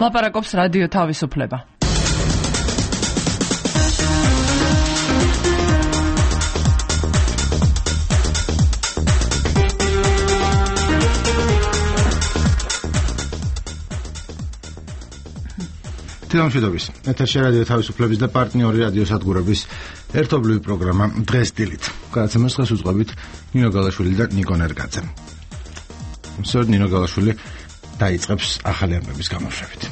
ლაპარაკობს რადიო თავისუფლება. თამაშიდობის ეთერში რადიო თავისუფლების და პარტნიორი რადიო სადგურების ერთობლივი პროგრამა დღეს დილით. გადაცემას დღეს უძღვებით ნინო გალაშვილი და ნიკო ნერგაძე. მსურთ ნინო გალაშვილი დაიწყებს ახალი ამბების გამოშვებით.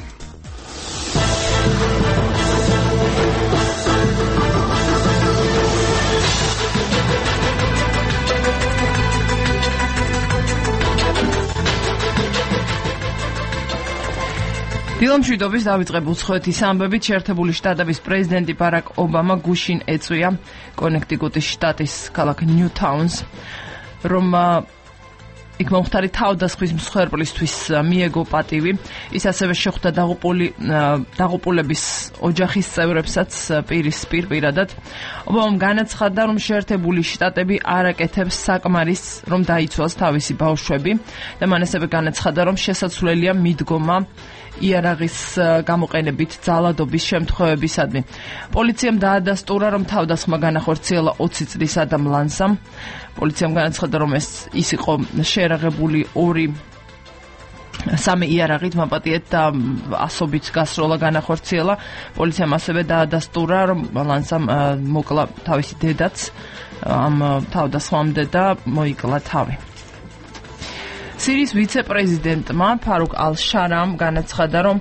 დილომშვიდობის დავიწყებ უცხოეთის ამბებით. შეერთებული შტატების პრეზიდენტი ბარაკ ობამა გუშინ ეწვია კონექტიკუტის შტატის ქალაქ ნიუთაუნს, რომ იქ მომხდარი თავდასხმის მსხვერპლისთვის მიეგო პატივი. ის ასევე შეხვდა დაღუპულების ოჯახის წევრებსაც პირისპირ პირადად. ობამამ განაცხადა, რომ შეერთებული შტატები არ აკეთებს საკმარისს, რომ დაიცვალს თავისი ბავშვები და მან ასევე განაცხადა, რომ შესაძლებელია მიდგომა იარაღის გამოყენებით ძალადობის შემთხვევებისადმი. პოლიციამ დაადასტურა, რომ თავდასხმა განახორციელა 20 წლის ადამ ლანსამ. პოლიციამ განაცხადა, რომ ის იყო შეერაღებული 3 იარაღით მაპატიეთ და ასობით გასროლა განახორციელა. პოლიციამ ასევე დაადასტურა, რომ ლანსამ მოკლა თავისი დედაც ამ თავდასხმამდე და მოიკლა თავი. სირიის ვიცე-პრეზიდენტმა ფარუკ ალ-შარამ განაცხადა, რომ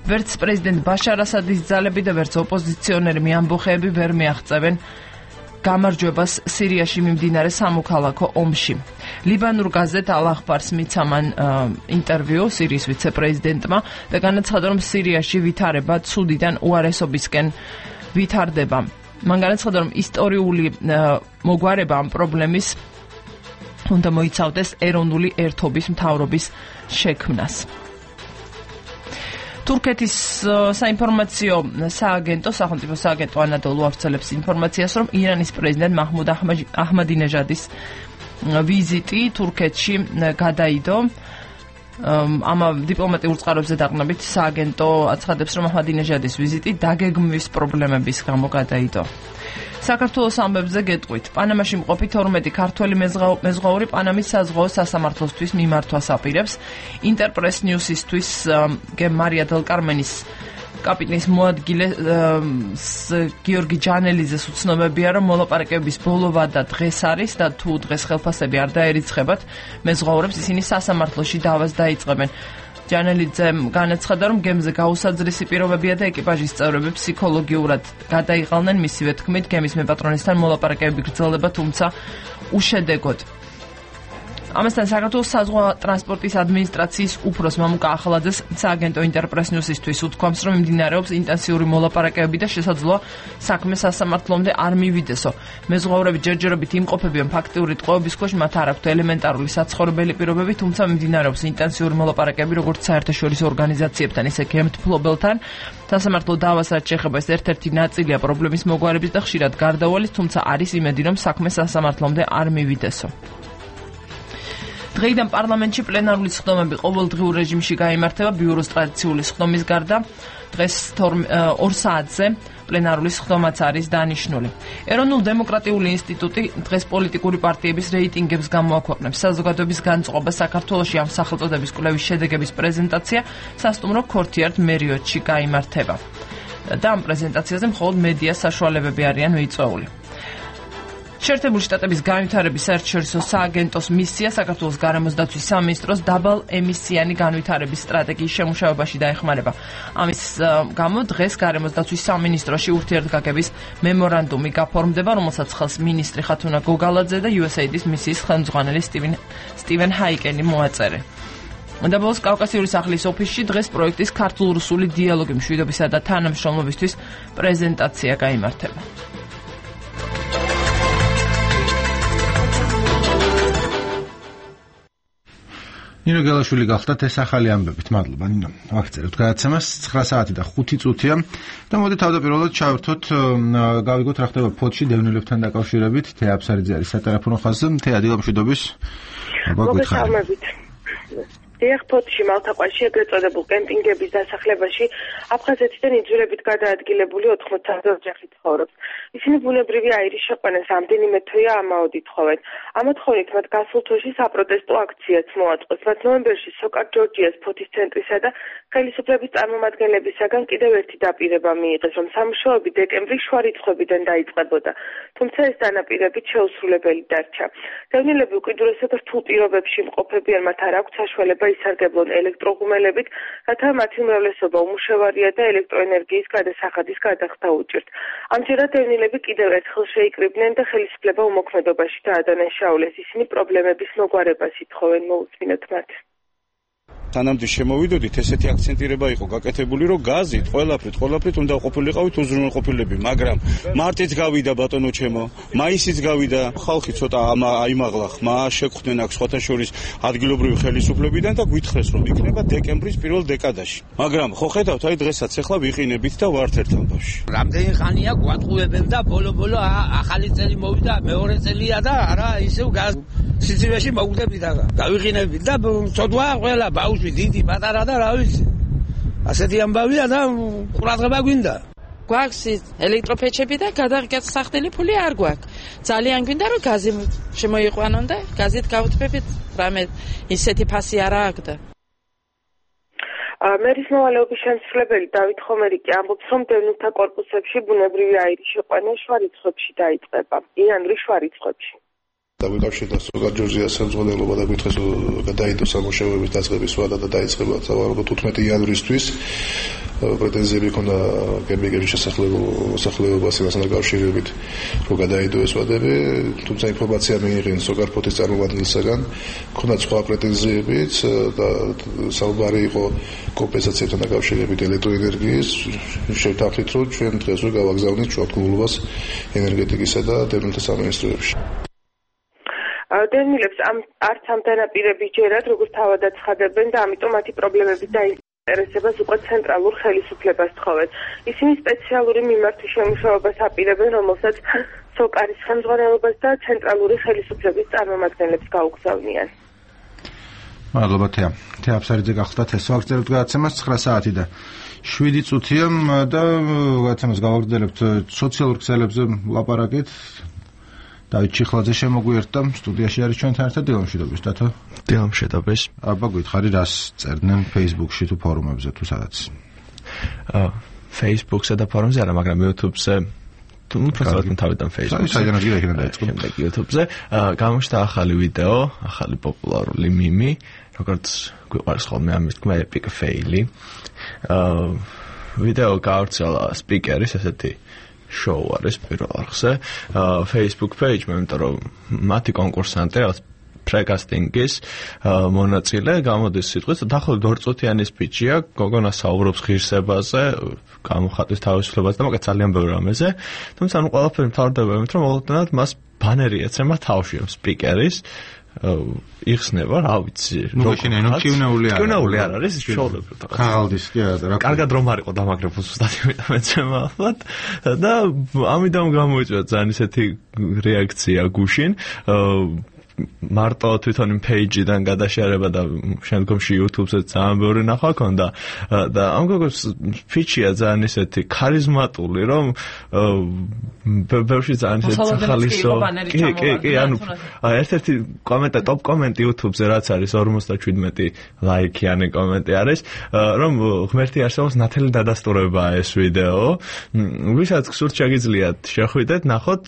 ვერც პრეზიდენტ ბაშარ ასადის ძალები და ვერც ოპოზიციონერი ამბოხეები ვერ მიაღწევენ გამარჯვებას სირიაში მიმდინარე სამოქალაქო ომში. ლიბანურ გაზეთ ალ-ახბარს მიცა მან ინტერვიუ სირიის ვიცე-პრეზიდენტმა და განაცხადა, რომ სირიაში ვითარება ცუდიდან უარესობისკენ ვითარდება. მან განაცხადა, რომ ისტორიული მოგვარება ამ პრობლემის უნდა მოიცავდეს ეროვნული ერთობის მთავრობის შექმნას. თურქეთის საინფორმაციო სააგენტო, სახელმწიფო სააგენტო ანადოლუ ავრცელებს ინფორმაციას, რომ ირანის პრეზიდენტ მაჰმუდ აჰმადინეჟადის ვიზიტი თურქეთში გადაიდო. ამ დიპლომატიურ წყაროებზე დაყნობით სააგენტო აცხადებს, რომ აჰმადინეჟადის ვიზიტი დაგეგმვის პრობლემების გამო გადაიდო. საქართველოს ამბებზე გეტყვით. პანამაში მყოფი 12 ქართველი მეზღვაური პანამის საზღვაო სასამართლოსთვის მიმართვას აპირებს. ინტერპრეს ნიუსისთვის მარია დელ კარმენის კაპიტნის მოადგილე გიორგი ჯანელიძეს უცნობებია, რომ მოლაპარაკებების ბოლო ვადა დღეს არის და თუ დღეს ხელფასები არ დაერიცხებათ მეზღვაურებს, ისინი სასამართლოში დავას დაიწყებენ. ჯანელიძემ განაცხადა, რომ გემზე გაუსაძრისი პირობებია და ეკიპაჟის წევრები ფსიქოლოგიურად გადაიღალნენ. მისივე თქმით, გემის მეპატრონისთან მოლაპარაკებები გრძელდება, თუმცა უშედეგოდ. ამასთან საქართველოს საზღვაო ტრანსპორტის ადმინისტრაციის უფროს მამუკა ახალაძეს სააგენტო ინტერპრეს ნიუსისთვის უთქვამს, რომ მიმდინარეობს ინტენსიური მოლაპარაკებები და შესაძლოა საქმე სასამართლომდე არ მივიდესო. მეზღვაურები ჯერჯერობით იმყოფებიან ფაქტიური ტყვეობის ქვეშ, მათ არ აქვთ ელემენტარული საცხოვრებელი პირობები, თუმცა მიმდინარეობს ინტენსიური მოლაპარაკებები როგორც საერთაშორისო ორგანიზაციებთან, ისე გემთმფლობელთან. სასამართლო დავას რაც შეეხება ეს ერთ-ერთი ნაწილია პრობლემის მოგვარების და ხშირად გარდაუვალის, თუმცა არის იმედი, რომ საქმე სასამართლომდე არ მივიდესო. დღეიდან პარლამენტში პლენარული სხდომები ყოველდღიურ რეჟიმში გაიმართება. ბიუროს ტრადიციული სხდომის გარდა დღეს 2 საათზე პლენარული სხდომაც არის დანიშნული. ეროვნულ დემოკრატიული ინსტიტუტი დღეს პოლიტიკური პარტიების რეიტინგებს გამოაქვეყნებს. საზოგადოების განწყობა საქართველოში ამ სახელწოდების კვლევის შედეგების პრეზენტაცია სასტუმრო ქორთიარდ მერიოტში გაიმართება. და ამ პრეზენტაციაზე მხოლოდ მედია საშუალებები არიან მიწვეული. შეერთებული შტატების განვითარების საერთაშორისო სააგენტოს მისია საქართველოს გარემოს დაცვის სამინისტროს დაბალ ემისიანი განვითარების სტრატეგიის შემუშავებაში დაეხმარება. ამის გამო დღეს გარემოს დაცვის სამინისტროში ურთიერთგაგების მემორანდუმი გაფორმდება, რომელსაც ხელს მინისტრი ხათუნა გოგალაძე და USAID-ის მისიის ხელმძღვანელი სტივენ ჰაიკენი მოაწერე. და ბოლოს კავკასიური სახლის ოფისში დღეს პროექტის ქართულ-რუსული დიალოგი მშვიდობისა და თანამშრომლობისთვის პრეზენტაცია გაიმართება. ნინო გელაშვილი გახდათ ეს ახალი ამბებით. მადლობა ნინო. ვაგრძელებთ გადაცემას 9 საათი და 5 წუთია და მოდი თავდაპირველად ჩავერთოთ, გავიგოთ რა ხდება ფოთში დევნილებთან დაკავშირებით. თეა აფსარიძე არის სატელეფონო ხაზზე. თეა დილომშვიდობის. მოგესალმებით. ეხ ფოთში მალთაყვაში ეგრეთ წოდებულ კემპინგების დასახლებაში აფხაზეთიდან იძულებით გადაადგილებული 80-ზე ოჯახი ცხოვრობს. ისინი ბუნებრივი აირის შეყვანას ამდენიმე თვეა ამაოდით თხოვენ. ამათხოვნით მათ გასულ თვეში საპროტესტო აქციაც მოაწყვეს. მათ ნოემბერში სოკარ ჯორჯიას ფოთის ცენტრისა და ხელისუფლების წარმომადგენლებისაგან კიდევ ერთი დაპირება მიიღეს, რომ სამუშაოები დეკემბრის შუა რიცხვებიდან დაიწყებოდა. თუმცა ეს დანაპირებით შეუსრულებელი დარჩა. დევნილები უკიდურესად რთულ პირობებში იმყოფებიან, მათ არ აქვთ საშუალება ისარგებლონ ელექტროღუმელებით, რათა მათი უმრავლესობა უმუშევარია და ელექტროენერგიის გადასახადის გადახდა უჭირთ. ამჯერად დევნილები კიდევ ერთხელ შეიკრიბნენ და ხელისუფლება უმოქმედობაში დაადანაშაულეს. ისინი პრობლემების მოგვარებას ითხოვენ, მოუწმინოთ მათ. თანამდე შემოვიდოდით, ესეთი აქცენტირება იყო გაკეთებული, რომ გაზით ყველაფრით უნდა ყოფილიყავით უზრუნველყოფილები, მაგრამ მარტიც გავიდა ბატონო ჩემო, მაისიც გავიდა, ხალხი ცოტა აიმაღლა, ხმა შეგხვდნენ აქ სხვათა შორის ადგილობრივი ხელისუფლებიდან და გვითხრეს, რომ იქნება დეკემბრის პირველ დეკადაში. მაგრამ ხო ხედავთ, აი დღესაც ახლა ვიყინებით და ვართ ერთ ამბავში. რამდენი ხანია გვატყუებენ და ბოლო ახალი წელი მოვიდა, მეორე წელია და არა ისევ სიცივეში მოგვდებით და გავიყინებით და ცოდვა ყველა ბავშვი დიდი პატარა და რა ვიცი. ასეთი ამბავია და ყურადღება გვინდა. გვაქვს ელექტროფეჩები და გადაგასახდელი ფული არ გვაქვს. ძალიან გვინდა რომ გაზი შემოიყვანონ და გაზით გავთბებით, რამე ისეთი ფასი არა აქვს და მერის მოვალეობის შემსრულებელი დავით ხომერიკი ამბობს, რომ დევნილთა კორპუსებში ბუნებრივი აირის შეყვანა შუა რიცხვებში დაიწყება, იანვრის შუა რიცხვებში. დავიკავშირდა სოკარ ჯორჯიას ხელმძღვანელობა და გითხრეს გადაიდო სამუშაოების დაწყების ვადა და დაიწყება სავარაუდოდ 15 იანვრისთვის პრეტენზიები ქონდა კემპინგების შესახლებობას იმასთან დაკავშირებით რომ გადაიდო ეს ვადები, თუმცა ინფორმაცია მიიღეს სოკარ ფოთის წარმომადგენლისაგან, ქონდა სხვა პრეტენზიებიც და საუბარი იყო კომპენსაციებთან დაკავშირებით ელექტროენერგიის. შევთანხმდით, რომ ჩვენ დღეს ვერ გავაგზავნით შუათქმულობას ენერგეტიკისა და დევნილთა სამინისტროებში. დევნილებს არც ამ დანაპირების ჯერად როგორც თავად აცხადებენ და ამიტომ მათი პრობლემების დაინტერესებას უკვე ცენტრალურ ხელისუფლებას თხოვენ. ისინი სპეციალური მიმართვის შემუშავებას აპირებენ, რომელსაც სოკარის ხელმძღვანელობას და ცენტრალური ხელისუფლების წარმომადგენლებს გაუგზავნიან. მადლობა თეა. თეა აფსარიძე გახლდათ ეს ვაგრძელებთ გადაცემას 9 საათი და 7 წუთია და გადაცემას გავაგრძელებთ სოციალურ ქსელებზე ლაპარაკით. დავით ჩიხლაძე შემოგვიერთდა სტუდიაში არის ჩვენთან ერთად დილამშვიდობის დათო. დილამშვიდობის. აბა გითხარი რას წერდნენ Facebook-ში თუ ფორუმებზე თუ სადაც? Facebook-ზე და ფორუმზე არა, მაგრამ YouTube-ზე თუ უბრალოდ თავიდან Facebook-ზე. საიდანაც გიქნა დაიწყო. YouTube-ზე გამოჩნდა ახალი ვიდეო, ახალი პოპულარული მიმი, როგორც გვიყვარს ხოლმე ამის თქმა epic fail-ი. ვიდეო გავრცელა სპიკერის ესეთი show არის პირველ არხზე Facebook page, იმიტომ რომ მათი კონკურსანტი რაღაც პრეკასტინგის მონაწილე გამოდის სიტყვით, დაახლოებით 2 წუთიანი სპიჩია, გოგონა საუბრობს ღირსებაზე, გამოხატვის თავისუფლებას და მაგათ ძალიან ბევრ რამეზე, თუმცა ანუ ყველაფერი მთავრდება იმით, რომ მოულოდნელად მას ბანერი ეცემა თავში, რომ სპიკერის იხსნება, რა ვიცი, კივნეული არ არის შოულებრივ რაღაც. ხალდის კი არა. კარგად რომ არ იყო დამაგრებული ზუსტად იმიტომ მეცემა ალბათ და ამიტომ გამოიწვია ძალიან ისეთი რეაქცია გუშინ. მარტო თვითონ იმ page-დან გადაშერება და შემდგომში YouTube-ზე ძალიან ბევრი ნახვა ქონდა და ამ გოგოს ფიჩია ძალიან ისეთი ქარიზმატული, რომ ბევრში ძალიან ისეთი სახალისო. კი, ანუ ერთ-ერთი კომენტარი, top კომენტი YouTube-ზე რაც არის 57 ლაიქიანი კომენტი არის, რომ ღმერთი არსებობს ნათელი დადასტურებაა ეს ვიდეო. ვისაც გსურთ შეგიძლიათ შეხვიდეთ, ნახოთ,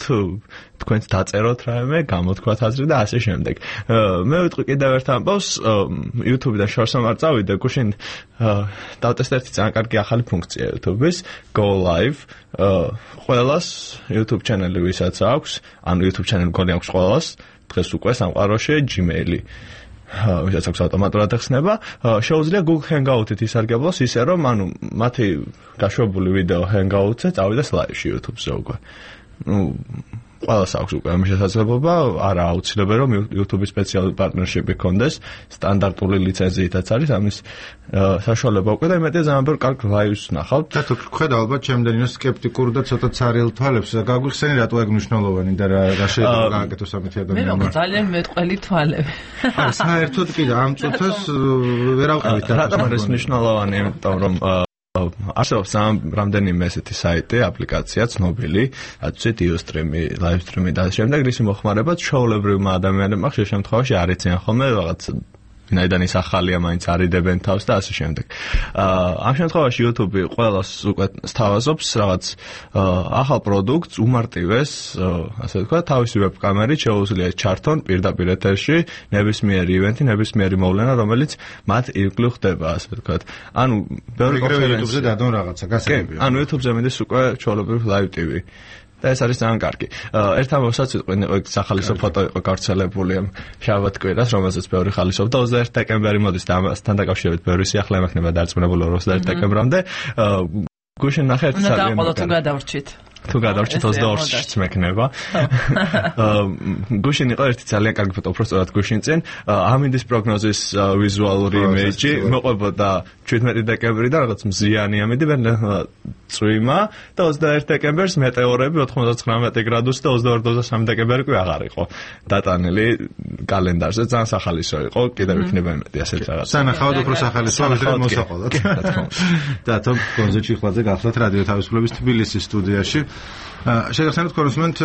თქვენც დაწეროთ რაიმე, გამოთქვათ აზრი და ასე შემდეგ. მე ვიტყვი კიდევ ერთ ამბავს, YouTube-დან შორს არ წავიდე, გუშინ დავტესტე ერთი ძალიან კარგი ახალი ფუნქცია YouTube-ის, Go Live. ყველას YouTube channel-ი ვისაც აქვს, ანუ YouTube channel-ი გონი აქვს ყველას, დღეს უკვე სამყაროში Gmail-ი. ვისაც აქვს ავტომატურად ხსნება, შეუძლია Google Hangout-ით ისარგებლოს ისე, რომ ანუ მათი გაშვებული ვიდეო Hangout-ზე წავიდეს live-ში YouTube-ზე უკვე. ყველას აქვს უკვე ამ შესაძლებლობა, არა აუცილებელი რომ YouTube-ის სპეციალური პარტნერშიპი გქონდეს, სტანდარტული ლიცენზიითაც არის ამის საშუალება უკვე და იმედია ძალიან ბევრ კარგ ლაივს ნახავთ. და თუ ხედავ ალბათ ჩემდენინო სკეპტიკურ და ცოტა ცარიელ თვალებს გაგვიხსენი რატო ეგ მნიშვნელოვანი და რა შეიძლება გააკეთოს ამეთი ადამიანმა. მე ძალიან მეტყველი თვალები. არა, საერთოდ კი და ამ წუთას ვერ ავყევით და რატომ არის მნიშვნელოვანი, იმიტომ რომ არსებობს რამდენიმე ესეთი საიტი, აპლიკაცია ცნობილი, რაც ვთქვით იუსტრიმი, ლაივსტრიმი და შემდეგ რის მოხმარებაც ჩვეულებრივმა ადამიანებმა ხშირ შემთხვევაში არ იციან ხოლმე რაღაც ვინაიდან ის ახალია მაინც არიდებენ თავს და ასე შემდეგ. ამ შემთხვევაში YouTube ყველას უკვე სთავაზობს რაღაც ახალ პროდუქტს უმარტივეს, ასე ვთქვათ, თავისი ვებკამერით შეუძლია ჩართონ პირდაპირ ეთერში ნებისმიერი ივენთი, ნებისმიერი მოვლენა, რომელიც მათ ირგვლივ ხდება, ასე ვთქვათ. ანუ ბევრი YouTube-ზე დადონ რაღაცა, გასაგებია. ანუ YouTube-ზე მიდის უკვე ჩვეულებრივ live TV. და ეს არის ძალიან კარგი. ერთ ამბავსაც ვიტყვი, სახალისო ფოტო იყო გავრცელებული ამ შაბათ-კვირას, რომელზეც ბევრი ხალისობდა 21 დეკემბერი მოდის და ამასთან დაკავშირებით ბევრი სიახლე ემექნება დარწმუნებული 21 დეკემბრამდე. გუშინ ნახე ერთ ძალიან თუ გადავრჩით. თუ გადავრჩით 22-ში მექნება. გუშინ იყო ერთი ძალიან კარგი ფოტო, უბრალოდ გუშინ წინ ამინდის პროგნოზის ვიზუალური იმეიჯი მოყვებოდა 17 დეკემბრიდან რაღაც მზიანი ამინდი წვიმა და 21 დეკემბერს მეტეორები 99 გრადუსი და 22-23 დეკემბერი კი აღარ იყო დატანილი კალენდარზე. ძალიან სახალისო იყო, კიდევ იქნება იმედი ასეთ რაღაც. სანახავად უფრო სახალისო ვიდრე მოსაყოლად. და თო კონზერტ ჭიხლაძე გახლავთ რადიო თავისუფლების თბილისის სტუდიაში. შეგახსენებთ კონსუმენტ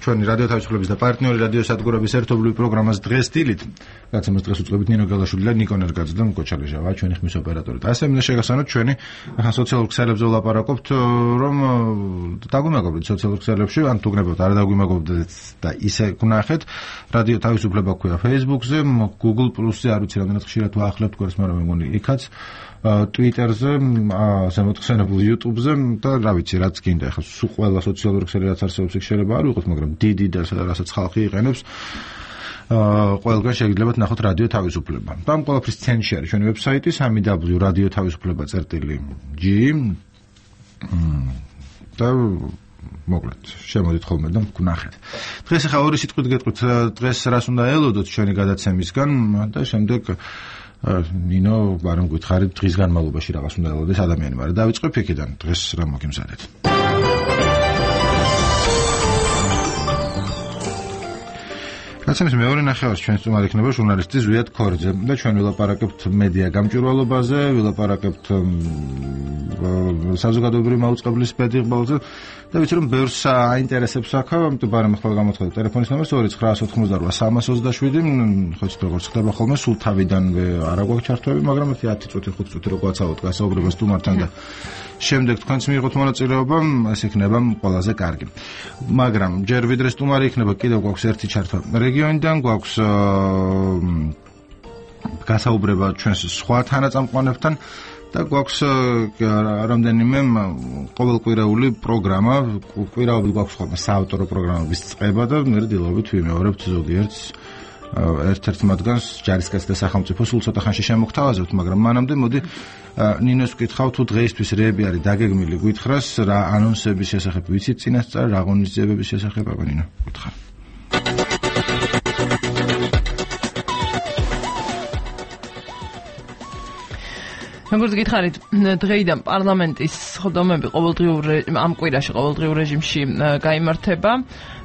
ჩვენი რადიო თავისუფლების და პარტნიორი რადიო სადგურების ერთობლივი პროგრამას დღეს დილით. გაცემას დღეს უწყებით ნინო გელაშვილი და ნიკო ნერგაძე და მკოჩალეჟავა, ჩვენი ხმის ოპერატორი. და ასე მინდა შეგახსენოთ ჩვენი ახლა სოციალურ ქსელებზე ვლაპარაკობთ, რომ დაგვიმაგობრეთ სოციალურ ქსელებში, ან თუ გნებავთ არ დაგვიმაგობრეთ და ისე გნახეთ. რადიო თავისუფლება ქვია Facebook-ზე, Google Plus-ზე, არ ვიცი რამდენად ხშირად ვაახლებთ გვერდს, მაგრამ მე მგონი იქაც. Twitter-ზე, შემოთხსენებულ YouTube-ზე და რა ვიცი, რაც გინდა. ახლა სულ ყველა სოციალური ქსელი რაც არსებობს, იქ შეიძლება არ ვიყოთ, მაგრამ დიდი და რასაც ხალხი იყენებს, ყველგან შეგიძლიათ ნახოთ რადიო თავისუფლება. და ამ ყველაფრის ცენტრში არის ჩვენი ვებსაიტი www.radiotavisufleba.g და მოკლედ შემოდით ხოლმე და გნახეთ. დღეს ახლა ორი სიტყვით გეტყვით, დღეს რას უნდა ელოდოთ ჩვენი გადაცემისგან და შემდეგ ნინო ბარემ გითხარით დღის განმავლობაში რაღაც უნდა ელოდეს ადამიანი, მაგრამ დავიწყებ იქიდან. დღეს რა მოგიმზადეთ? გაცემის მეორე ნახევარში ჩვენ სტუმარი იქნება ჟურნალისტი ზვიად ქორძე და ჩვენ ვილაპარაკებთ მედია გამჭვირვალობაზე, ვილაპარაკებთ საზოგადოებრივი მაუწყებლის პედიღბალზე და ვიცი რომ ბევრს აინტერესებს აქა, ამიტომ ბარემ ახლა გამოცხადე ტელეფონის ნომერს 2988 ხო ცოტა როგორც ხდება ხოლმე, სულ თავიდანვე არ აქვს ჩართვები, მაგრამ 10 წუთი 5 წუთი რო გვაცალოთ გასაუბრებას სტუმართან და შემდეგ თქვენც მიიღოთ მონაწილეობა, ეს იქნება ყველაზე კარგი. მაგრამ ჯერ ვიდრე სტუმარი იქნება, კიდევ გვაქვს ერთი ჩართვა რეგიონიდან, გვაქვს გასაუბრება ჩვენს სხვა თანაწამყვანებთან და გვაქვს რამდენიმე ყოველკვირეული პროგრამა, კვირაობით გვაქვს ხოლმე საავტორო პროგრამების წყება და მე დილობით ვიმეორებთ ზოგიერთს ერთ-ერთ მათგანს ჯარისკაცი და სახელმწიფო სულ ცოტა ხანში შემოგთავაზებთ, მაგრამ მანამდე მოდი ნინოს ვკითხავ, თუ დღეისთვის რეები არის დაგეგმილი გითხრას, რა ანონსების შესახებ ვიცით წინასწარ, რა ღონისძიებების შესახებ, აბა ნინო, გითხრა. როგორც გითხარით, დღეიდან პარლამენტის სხდომები ყოველდღიური ამ კვირაში ყოველდღიურ რეჟიმში გაიმართება.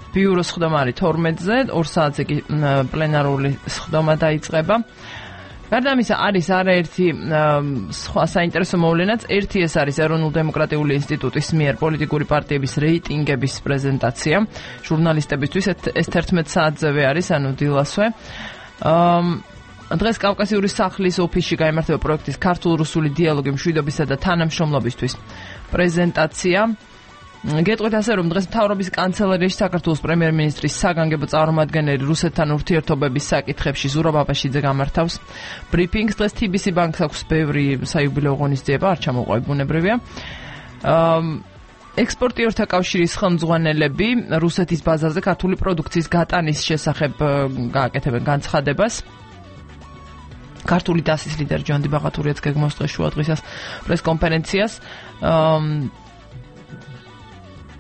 ბიუროს სხდომა არის 12-ზე, 2 საათზე კი პლენარული სხდომა დაიწყება. გარდა ამისა არის არაერთი სხვა საინტერესო მოვლენაც. ერთი ეს არის ეროვნულ-დემოკრატიული ინსტიტუტის მიერ პოლიტიკური პარტიების რეიტინგების პრეზენტაცია. ჟურნალისტებისთვის ეს 11 საათზევე არის, ანუ დილასვე. დღეს კავკასიური სახლის ოფისში გაიმართება პროექტის ქართულ-რუსული დიალოგი მშვიდობისა და თანამშრომლობისთვის პრეზენტაცია. გეტყვით ასე, რომ დღეს მთავრობის კანცელერიაში საქართველოს პრემიერ-მინისტრის საგანგებო წარმომადგენელი რუსეთთან ურთიერთობების საკითხებში ზურაბ აბაშიძე გამართავს ბრიფინგს. დღეს TBC ბანკს აქვს ბევრი საიუბილეო ღონისძიება, არ ჩამოყვები ბუნებრივია. ექსპორტიორთა კავშირის ხელმძღვანელები რუსეთის ბაზარზე ქართული პროდუქციის გატანის შესახებ გააკეთებენ განცხადებას. ქართული დასის ლიდერი ჯონდი ბაღათურიაც გეგმავს დღეს შუა დღისას პრესკონფერენციას.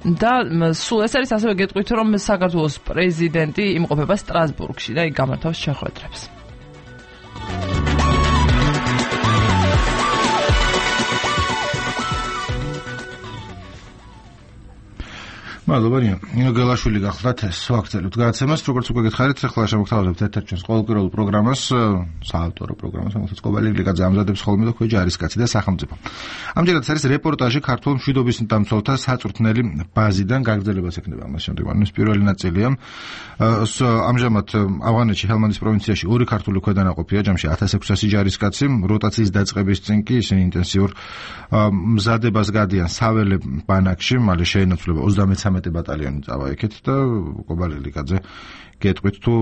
და სულ ეს არის ასევე გეტყვით, რომ საქართველოს პრეზიდენტი იმყოფება სტრასბურგში და იქ გამართავს შეხვედრებს. მადლობა ნინო გელაშვილი გახლდათ ეს ვაქცელოთ გადაცემას როგორც უკვე გითხარით ახლა შემოგთავაზებთ ერთ-ერთ ჩვენს ყოველკვირეულ პროგრამას საავტორო პროგრამას რომელსაც კობალი ლიგაძე ამზადებს ხოლმე და ქვე ჯარისკაცი და სახელმწიფო ამჯერად არის რეპორტაჟი ქართულ მშვიდობის დამცველთა საწვრთნელი ბაზიდან გაგრძელებას ექნება ამას შემდეგ ანუ პირველი ნაწილია ამჟამად ავღანეთში ჰელმანდის პროვინციაში ორი ქართული ქვედანაყოფია ჯამში 1600 ჯარისკაცი როტაციის დაწყების წინ კი ისინი ინტენსიურ მზადებას გადიან საველე ბანაკში მალე შეენაცვლება 33 ბატალიონი წავა იქით და კობალი ლიგაძე გეტყვით თუ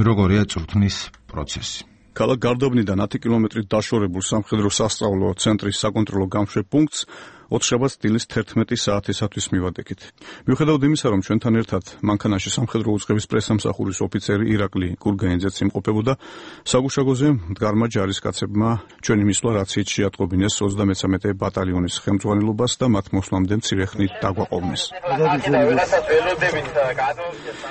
როგორია წვრთნის პროცესი. ქალაქ გარდაბნიდან 10 კილომეტრით დაშორებულ სამხედრო სასწავლო ცენტრის საკონტროლო გამშვებ პუნქტს ოთხშაბათს დილის 11 საათისათვის მივადგეთ. მიუხედავად იმისა, რომ ჩვენთან ერთად მანქანაში სამხედრო უწყების პრესამსახურის ოფიცერი ირაკლი კურგანიძეც იმყოფებოდა, საგუშაგოზე მდგარმა ჯარისკაცებმა ჩვენი მისვლა რაციით შეატყობინეს 33 ბატალიონის ხელმძღვანელობას და მათ მოსვლამდე მცირე ხნით დაგვაყოვნეს.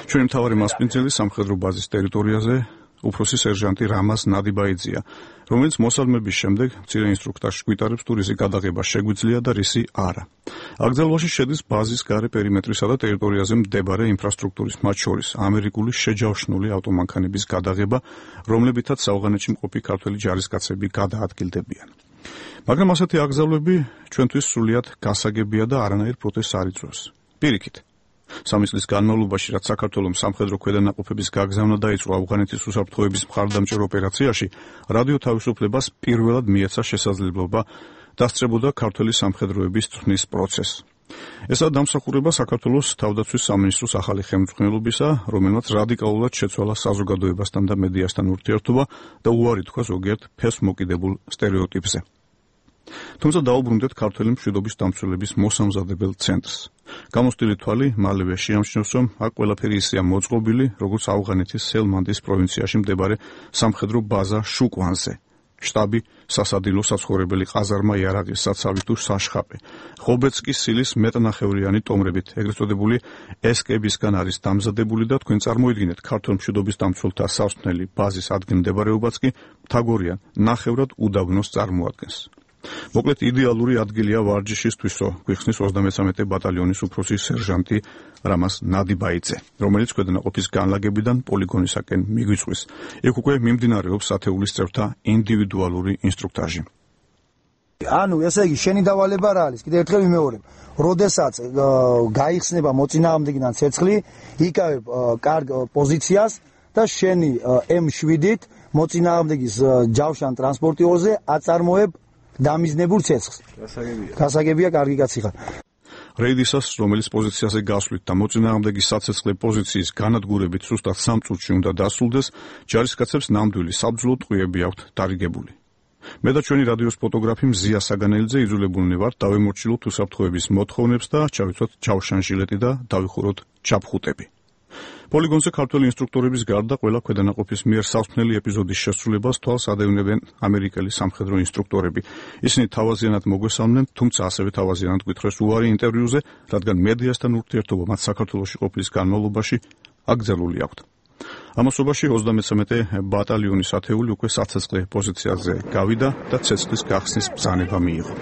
ჩვენი მთავარი მასპინძელი სამხედრო ბაზის ტერიტორიაზე უფროსი სერჟანტი რამაზ ნადიბაიძეა, რომელიც მოსალმების შემდეგ მცირე ინსტრუქტორში გვიტარებს თუ რისი გადაღება შეგვიძლია და რისი არა. აკრძალვაში შედის ბაზის გარე პერიმეტრისა და ტერიტორიაზე მდებარე ინფრასტრუქტურის მათ შორის ამერიკული შეჯავშნული ავტომანქანების გადაღება, რომლებითაც საავღანეთში მყოფი ქართველი ჯარისკაცები გადაადგილდებიან. მაგრამ ასეთი აკრძალვები ჩვენთვის სრულიად გასაგებია და არანაირ პროტესტს არ იწვევს. პირიქით სამი წლის განმავლობაში, რაც საქართველოს სამხედრო ქვედანაყოფების გაგზავნა დაიწყო ავღანეთის უსაფრთხოების მხარდამჭერ ოპერაციაში, რადიო თავისუფლებას პირველად მიეცა შესაძლებლობა დასწრებოდა ქართველი სამხედროების წვრთნის პროცესს. ესაა დამსახურება საქართველოს თავდაცვის სამინისტროს ახალი ხელმძღვანელობისა, რომელმაც რადიკალურად შეცვალა საზოგადოებასთან და მედიასთან ურთიერთობა და უარი თქვა ზოგიერთ ფესვმოკიდებულ სტერეოტიპზე. თუმცა დაუბრუნდეთ ქართველი მშვიდობის დამცველების მოსამზადებელ ცენტრს. გამოსტილი თვალი მალევე შეამჩნევს, რომ აქ ყველაფერი ისეა მოწყობილი, როგორც ავღანეთის ჰელმანდის პროვინციაში მდებარე სამხედრო ბაზა შუკვანზე. შტაბი, სასადილო საცხოვრებელი ყაზარმა იარაღის საცავი თუ საშხაპი. ხობეცკის სილის მეტნახევრიანი ტომრებით, ეგრეთ წოდებული ესკებისგან არის დამზადებული და თქვენ წარმოიდგინეთ ქართულ მშვიდობის დამცველთა სასწავლელი ბაზის ადგილმდებარეობაც კი მთაგორიან ნახევრად უდაბნოს წარმოადგენს. მოკლედ იდეალური ადგილია ვარჯიშისთვისო, გვიხსნის 33 ბატალიონის უფროსი სერჟანტი რამაზ ნადიბაიძე, რომელიც ქვედანაყოფის განლაგებიდან პოლიგონისაკენ მიგვიწვის. იქ უკვე მიმდინარეობს ათეულის წევრთა ინდივიდუალური ინსტრუქტაჟი. ანუ ესე იგი შენი დავალება რა არის? კიდევ ერთხელ ვიმეორებ. როდესაც გაიხსნება მოწინააღმდეგიდან ცეცხლი, იკავებ კარგ პოზიციას და შენი M7-ით მოწინააღმდეგის ჯავშან ტრანსპორტიორზე აწარმოებ დამიზნებულ ცეცხლს. გასაგებია, კარგი კაცი ხარ. რეიდისას, რომელიც პოზიციაზე გასვლით და მოწინააღმდეგის საცეცხლე პოზიციის განადგურებით სუსტად 3 წუთში უნდა დასრულდეს, ჯარისკაცებს ნამდვილი საბრძოლო ტყვიები აქვთ დარიგებული. მე და ჩვენი რადიოს ფოტოგრაფი მზია საგანელიძე იძულებულნი ვართ დავემორჩილოთ უსაფრთხოების მოთხოვნებს და ჩავიცვათ ჯავშან ჟილეტი და დავიხუროთ ჩაფხუტები. პოლიგონზე ქართველი ინსტრუქტორების გარდა ყველა ქვედანაყოფის მიერ სასწავლელი ეპიზოდის შესრულებას თვალს ადევნებენ ამერიკელი სამხედრო ინსტრუქტორები. ისინი თავაზიანად მოგვესალმნენ, თუმცა ასევე თავაზიანად გვითხრეს უარი ინტერვიუზე, რადგან მედიასთან ურთიერთობა მათ საქართველოში ყოფნის განმავლობაში აკრძალული აქვთ. ამასობაში 33 ბატალიონის ათეული უკვე საცეცხლე პოზიციაზე გავიდა და ცეცხლის გახსნის ბრძანება მიიღო.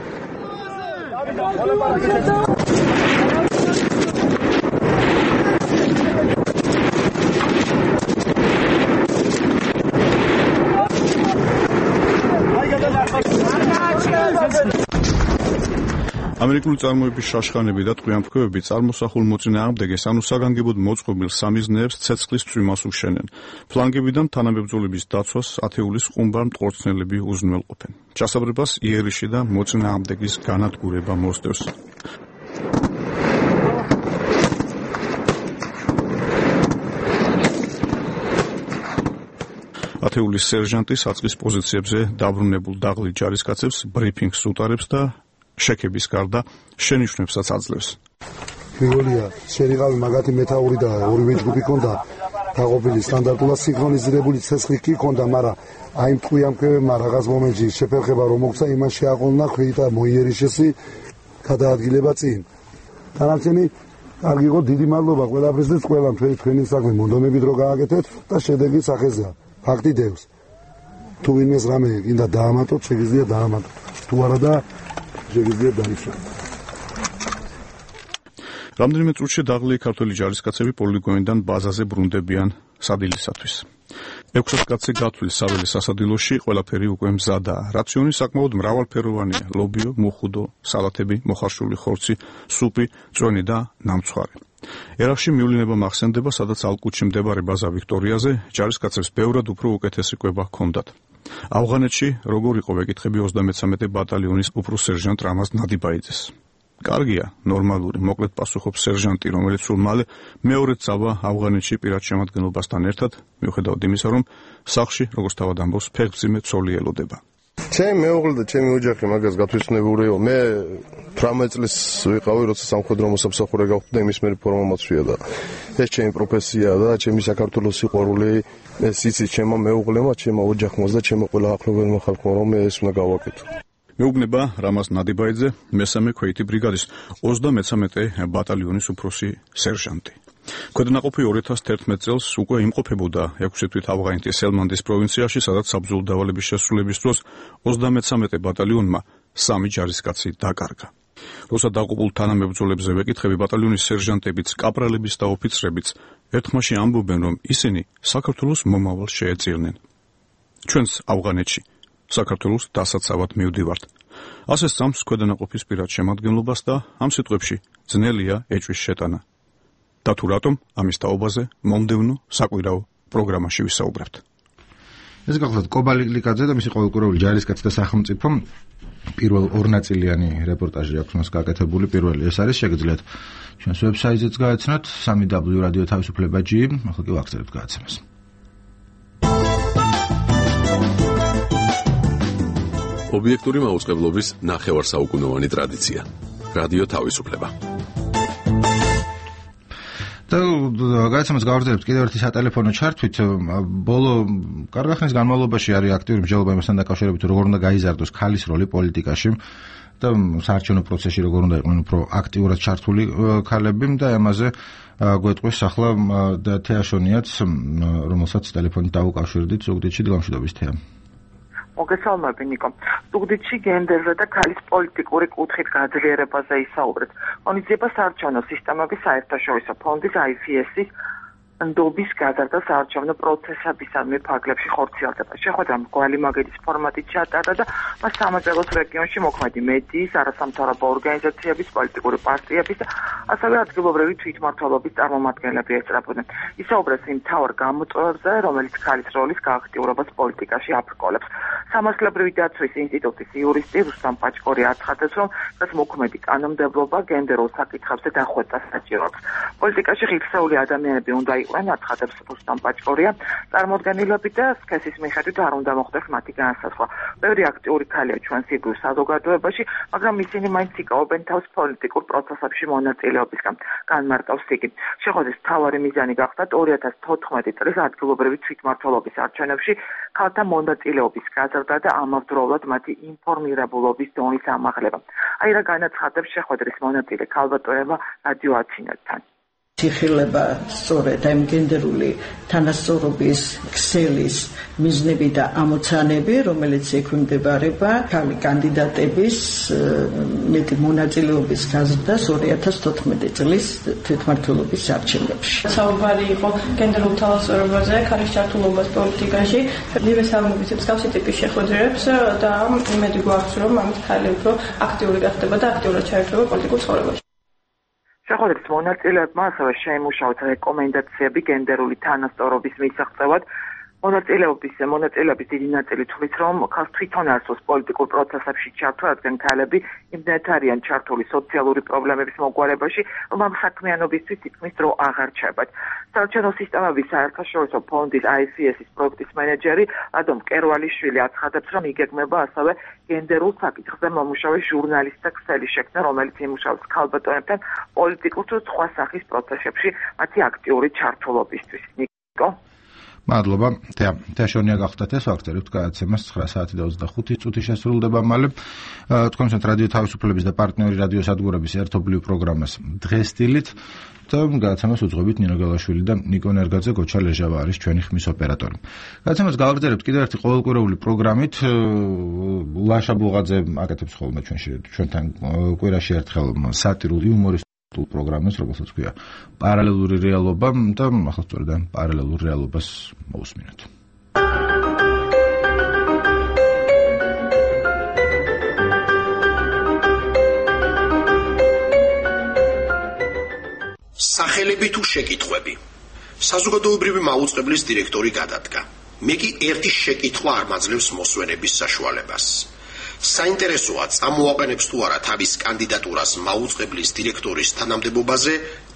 ამერიკული წარმოების შაშხანები და ტყვიამფრქვევები წარმოსახულ მოწინააღმდეგეს ანუ საგანგებოდ მოწყობილ სამიზნეებს ცეცხლის წვიმას უშენენ. ფლანგებიდან თანამებრძოლების დაცვას ათეულის ყუმბარ მტყორცნელები უზრუნველყოფენ. ჩასაბრებას იერიში და მოწინააღმდეგის განადგურება მოსდევს. ათეულის სერჟანტი საწყის პოზიციებზე დაბრუნებულ დაღლილ ჯარისკაცებს ბრიფინგს უტარებს და შექების გარდა შენიშვნებსაც აძლევს. პირველია, შერიყავი მაგათი მეთაური და ორივე ჯგუფი ქონდა დაყოფილი სტანდარტულად სინქრონიზირებული ცეცხლი კი ქონდა, მაგრამ აი მტყვიამფრქვევებმა რაღაც მომენტში შეფერხება რომ მოგცა, იმას შეაყოლნა ხვიტა მოიერიშესი გადაადგილება წინ. თანამშრომლები კარგი იყო, დიდი მადლობა ყველაფრის და ყველამ თქვენი საქმე მონდომებით რო გააკეთეთ და შედეგი სახეზეა. ფაქტი დევს. თუ ვინმეს რამე გინდა დაამატოთ, შეგიძლია დაამატოთ. თუ არა და შეგიძლია დაიცვათ. რამდენიმე წუთში დაღლილი ქართველი ჯარისკაცები პოლიგონიდან ბაზაზე ბრუნდებიან სადილისათვის. 600 კაცი გათვლის საველის სასადილოში, ყველაფერი უკვე მზადაა. რაციონი საკმაოდ მრავალფეროვანია: ლობიო, მუხუდო, სალათები, მოხარშული ხორცი, სუპი, წვენი და ნამცხვარი. ერახში მიულინება მახსენდება, სადაც ალკუთში მდებარე ბაზა ვიქტორიაზე ჯარისკაცებს ბევრად უფრო უკეთესი კვება ჰქონდათ. ავღანეთში როგორ იყო ვეკითხები 33 ბატალიონის უფროსერჟანტ რამაზ ნადიბაიძეს. კარგია, ნორმალური, მოკლედ პასუხობს სერჟანტი, რომელიც სულ მალე მეორე წავა ავღანეთში პირად შემადგენლობასთან ერთად, მიუხედავად იმისა, რომ სახლში, როგორც თავად ამბობს, ფეხმძიმე ცოლი ელოდება. ჩემი მეუღლე და ჩემი ოჯახი მაგას გათვითცნობურიო. მე 18 წლის ვიყავი, როცა სამხედრო მოსამსახურე გავხდი და იმის მერე ფორმა მოწვია და ეს ჩემი პროფესიაა და ჩემი საქართველოს სიყვარული, ეს იცით ჩემო მეუღლემა, ჩემო ოჯახმა და ჩემო ყველა ახლობელმა ხალხმა, რომ მე ეს უნდა გავაკეთო. მეუბნება რამაზ ნადიბაიძე, მესამე ქვეითი ბრიგადის 33 ბატალიონის უფროსი სერჟანტი. ქვედანაყოფი 2011 წელს უკვე იმყოფებოდა 6 თვით ავღანეთის ელმანდის პროვინციაში, სადაც საბრძოლო დავალების შესრულების დროს 33 ბატალიონმა 3 ჯარისკაცი დაკარგა. როცა დაყოფილ თანამებრძოლებზე ვეკითხები, ბატალიონის სერჟანტებიც, კაპრალებიც და ოფიცრებიც ერთხმაში ამბობენ, რომ ისინი საქართველოს მომავალს შეეწირნენ. ჩვენს ავღანეთში საქართველოს დასაცავად მივდივართ. ასე სწამს ქვედანაყოფის პირად შემადგენლობას და ამ სიტყვებში ძნელია ეჭვის შეტანა. და თუ რატომ ამის თაობაზე მომდევნო საკვირაო პროგრამაში ვისაუბრებთ. ეს გახლავთ კობალიკლიკაძე და მისი ყოველკვირეული ჯარისკაცი და სახელმწიფო პირველ ორნაწილიანი რეპორტაჟი აქვს მას გაკეთებული. პირველი ეს არის, შეგიძლიათ ჩვენს ვებსაიტზეც გაეცნოთ www.radioთავისუფლება.gi, ახლა კი ვახსენებთ გააცემას. ობიექტური მაუწყებლობის ნახევარსაუკუნოვანი ტრადიცია. რადიო თავისუფლება. და გააცემას გავაგრძელებთ კიდევ ერთი სატელეფონო ჩართვით. ბოლო კარგი ხნის განმავლობაში არის აქტიური მსჯელობა იმასთან დაკავშირებით, როგორ უნდა გაიზარდოს ქალის როლი პოლიტიკაში და საარჩევნო პროცესში როგორ უნდა იყვნენ უფრო აქტიურად ჩართული ქალები და ამაზე გვეტყვის ახლა თეაშონიაც, რომელსაც ტელეფონით დავუკავშირდით. ზუგდიდში დილამშვიდობის თეა. მოგესალმები ნიკო. ზუგდიდში გენდერზე და ქალის პოლიტიკური კუთხით გაძლიერებაზე ისაუბრეთ. ღონისძიება საარჩევნო სისტემების საერთაშორისო ფონდის IFES-ის ნდობის გაზარდა საარჩევნო პროცესებისამე ფარგლებში ხორციელდება. შეხვედრა მრგვალი მაგედის ფორმატით ჩატარდა და მას სამეგრელოს რეგიონში მოქმედი მედიის, არასამთავრობო ორგანიზაციების, პოლიტიკური პარტიების და ასევე ადგილობრივი თვითმმართველობის წარმომადგენლები ესწრებოდნენ. ისაუბრეს იმ მთავარ გამოწვევებზე, რომელიც ქალის როლის გააქტიურებას პოლიტიკაში აბრკოლებს. სამართლებრივი დაცვის ინსტიტუტის იურისტი რუსტამ პაჭკორი აცხადებს, რომ ეს მოქმედი კანონმდებლობა გენდერულ საკითხებზე დახვეწას საჭიროებს. პოლიტიკაში ღირსეული ადამიანები უნდა იყვნენ, აცხადებს რუსტამ პაჭკორია, წარმოდგენილები და სქესის მიხედვით არ უნდა მოხდეს მათი განსაზღვრა. ბევრი აქტიური ქალია ჩვენს იგივ საზოგადოებაში, მაგრამ ისინი მაინც იკავებენ თავს პოლიტიკურ პროცესებში მონაწილეობისგან. განმარტავს იგი. შეხვედრის მთავარი მიზანი გახდა 2014 წლის ადგილობრივი თვითმმართველობის არჩევნებში ქალთა მონაწილეობის გაზრდა და ამავდროულად მათი ინფორმირებულობის დონის ამაღლება. აი რა განაცხადებს შეხვედრის მონაწილე ქალბატონებმა რადიო ათინეთთან. იხილება სწორედ ამ გენდერული თანასწორობის ქსელის მიზნები და ამოცანები, რომელიც ექვემდებარება ქალი კანდიდატების მეტი მონაწილეობის გაზრდას 2014 წლის თვითმმართველობის არჩევნებში. საუბარი იყო გენდერულ თანასწორობაზე, ქალის ჩართულობას პოლიტიკაში, მივესალმებით მსგავსი ტიპის შეხვედრებს და იმედი გვაქვს, რომ ამით ქალი უფრო აქტიური გახდება და აქტიურად ჩაერთვება პოლიტიკურ ცხოვრებაში. შეხვედრის მონაწილეებმა ასევე შეიმუშავეს რეკომენდაციები გენდერული თანასწორობის მისაღწევად. მონაწილეების დიდი ნაწილი თვლის, რომ ქალს თვითონ არსოს პოლიტიკურ პროცესებში ჩართვა, რადგან ქალები იმდენად არიან ჩართული სოციალური პრობლემების მოგვარებაში, რომ ამ საქმიანობისთვის თითქმის დრო აღარ ჩებათ. საარჩევნო სისტემების საერთაშორისო ფონდის IFES-ის პროექტის მენეჯერი ადომ კერვალიშვილი აცხადებს, რომ იგეგმება ასევე გენდერულ საკითხზე მომუშავე ჟურნალისტთა ქსელი შექმნა, რომელიც იმუშავებს ქალბატონებთან პოლიტიკურ თუ სხვა სახის პროცესებში მათი აქტიური ჩართულობისთვის. ნიკო მადლობა. თეაშონია გახდათ ეს ფაქტები, გადაცემას 9:25 შესრულდება მალე. თქვენთან რადიო თავისუფლების და პარტნიორი რადიო სადგურების ერთობლივ პროგრამას დღესtildeით და გადაცემას უძღვებით ნინო გალაშვილი და ნიკო ნერგაძე, გოჩა ლეჟავა არის ჩვენი ხმის ოპერატორი. გადაცემას გავაგრძელებთ კიდევ ერთი ყოველკვირეული პროგრამით. ლაშა ბულღაძე აკეთებს ხოლმე ჩვენთან კვირაში ერთხელ სატირულ იუმორისტულ პროგრამას, რომელსაც ქვია პარალელური რეალობა და ახლა სწორედ ამ პარალელურ რეალობას მოусმინოთ. სახელები თუ შეკითხვები. საზოგადოებრივი მაუწყებლის დირექტორი გადადგა. მე კი ერთი შეკითხვა არ მაძლევს მოსვენების საშუალებას. საინტერესოა წამოაყენებს თუ არა თავის კანდიდატურას მაუწყებლის დირექტორის თანამდებობაზე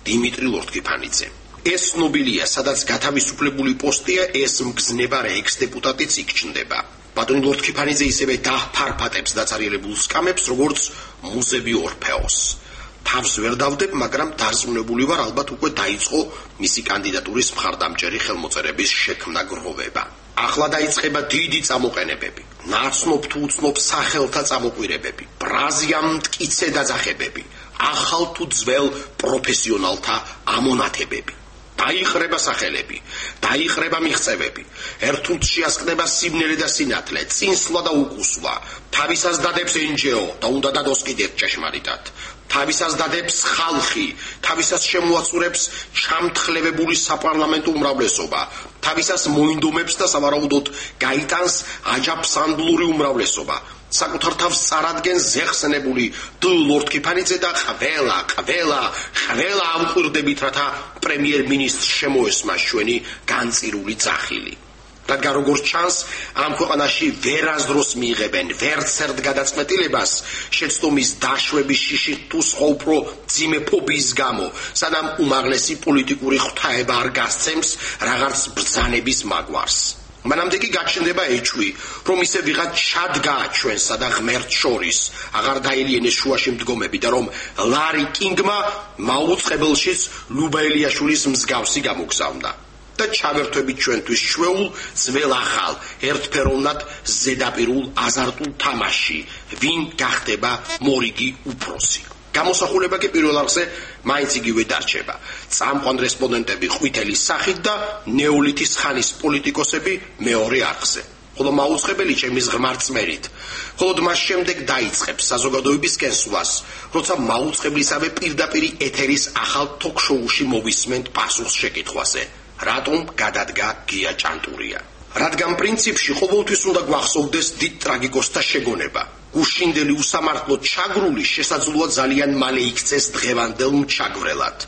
დიმიტრი ლორთქიფანიძე. ეს ნობილია, სადაც გათავისუფლებული პოსტია, ეს მგზნებარე ექს-დეპუტატიც იქ-ჩნდება. ბატონი ლორთქიფანიძე ისევე დაფარფატებს დაცარიელებულ სკამებს, როგორც მუზები ორფეოს. თავს ვერ დავდებ, მაგრამ დარწმუნებული ვარ, ალბათ უკვე დაიწყო მისი კანდიდატურის მხარდამჭერი ხელმოწერების შექმნა გროვება. ახლა დაიწყება დიდი წამოყენებები, ნაცნობ თუ უცნობ სახელთა წამოყვირებები, ბრაზიან მტკიცე დაძახებები, ახალ თუ ძველ პროფესიონალთა ამონათებები. დაიხრება სახელები, დაიხრება მიღწევები, ერთუთ შეასკდება სიმნელი და სინათლე, წინსვლა და უკუსვა, თავისას დადებს NGO და უნდა დადოს კიდევ ჭეშმარიტად. თავისას დადებს ხალხი, თავისას შემოაცურებს ჩამთხრებებული საპარლამენტო უმრავლესობა, თავისას მოინდომებს და სავარაუდოდ გაიტანს აჯაფსანდლური უმრავლესობა. საკუთარ თავს წარადგენს ზეხსნებული ლორთქიფანიძე და ყველა ამყვირდებით, რათა პრემიერ-მინისტრს შემოესმას ჩვენი განწირული ძახილი. რადგან როგორც ჩანს, ამ ქვეყანაში ვერასდროს მიიღებენ ვერცერთ გადაწყვეტილებას შეცდომის დაშვების შიშით თუ სხვა უფრო ძიმე ფობიის გამო, სანამ უმაღლესი პოლიტიკური ღვთაება არ გასცემს რაღაც ბრძანების მაგვარს. მანამდე კი გაჩნდება ეჭვი, რომ ისე ვიღაც ჩადგა ჩვენსა და ღმერთს შორის, აღარ დაელიენეს შუაში მდგომები და რომ ლარი კინგმა მაუწყებელშიც ლუბა ელიაშვილის მსგავსი გამოგზავნა. და ჩავერთვებით ჩვენთვის შვეულ, ძველ ახალ, ერთფეროვნად ზედაპირულ აზარტულ თამაში, ვინ გახდება მორიგი უფროსი. გამოსახულება კი პირველ არხზე მაინც იგივე დარჩება. წამყვან რესპონდენტები ყვითელი სახით და ნეოლითის ხანის პოლიტიკოსები მეორე არხზე. ხოლო მაუწყებელი ჩემის ღრმა რწმენით. ხოლო მას შემდეგ დაიწყებს საზოგადოების კენსვას, როცა მაუწყებლისავე პირდაპირ ეთერის ახალ თოქ-შოუში მოვისმენთ პასუხს შეკითხვაზე. რატომ გადადგა გია ჭანტურია? რადგან პრინციპში ყოველთვის უნდა გვახსოვდეს დიდ ტრაგიკოსთა შეგონება. გუშინდელი უსამართლოდ ჩაგრული შესაძლოა ძალიან მალე იქცეს დღევანდელ მჩაგვრელად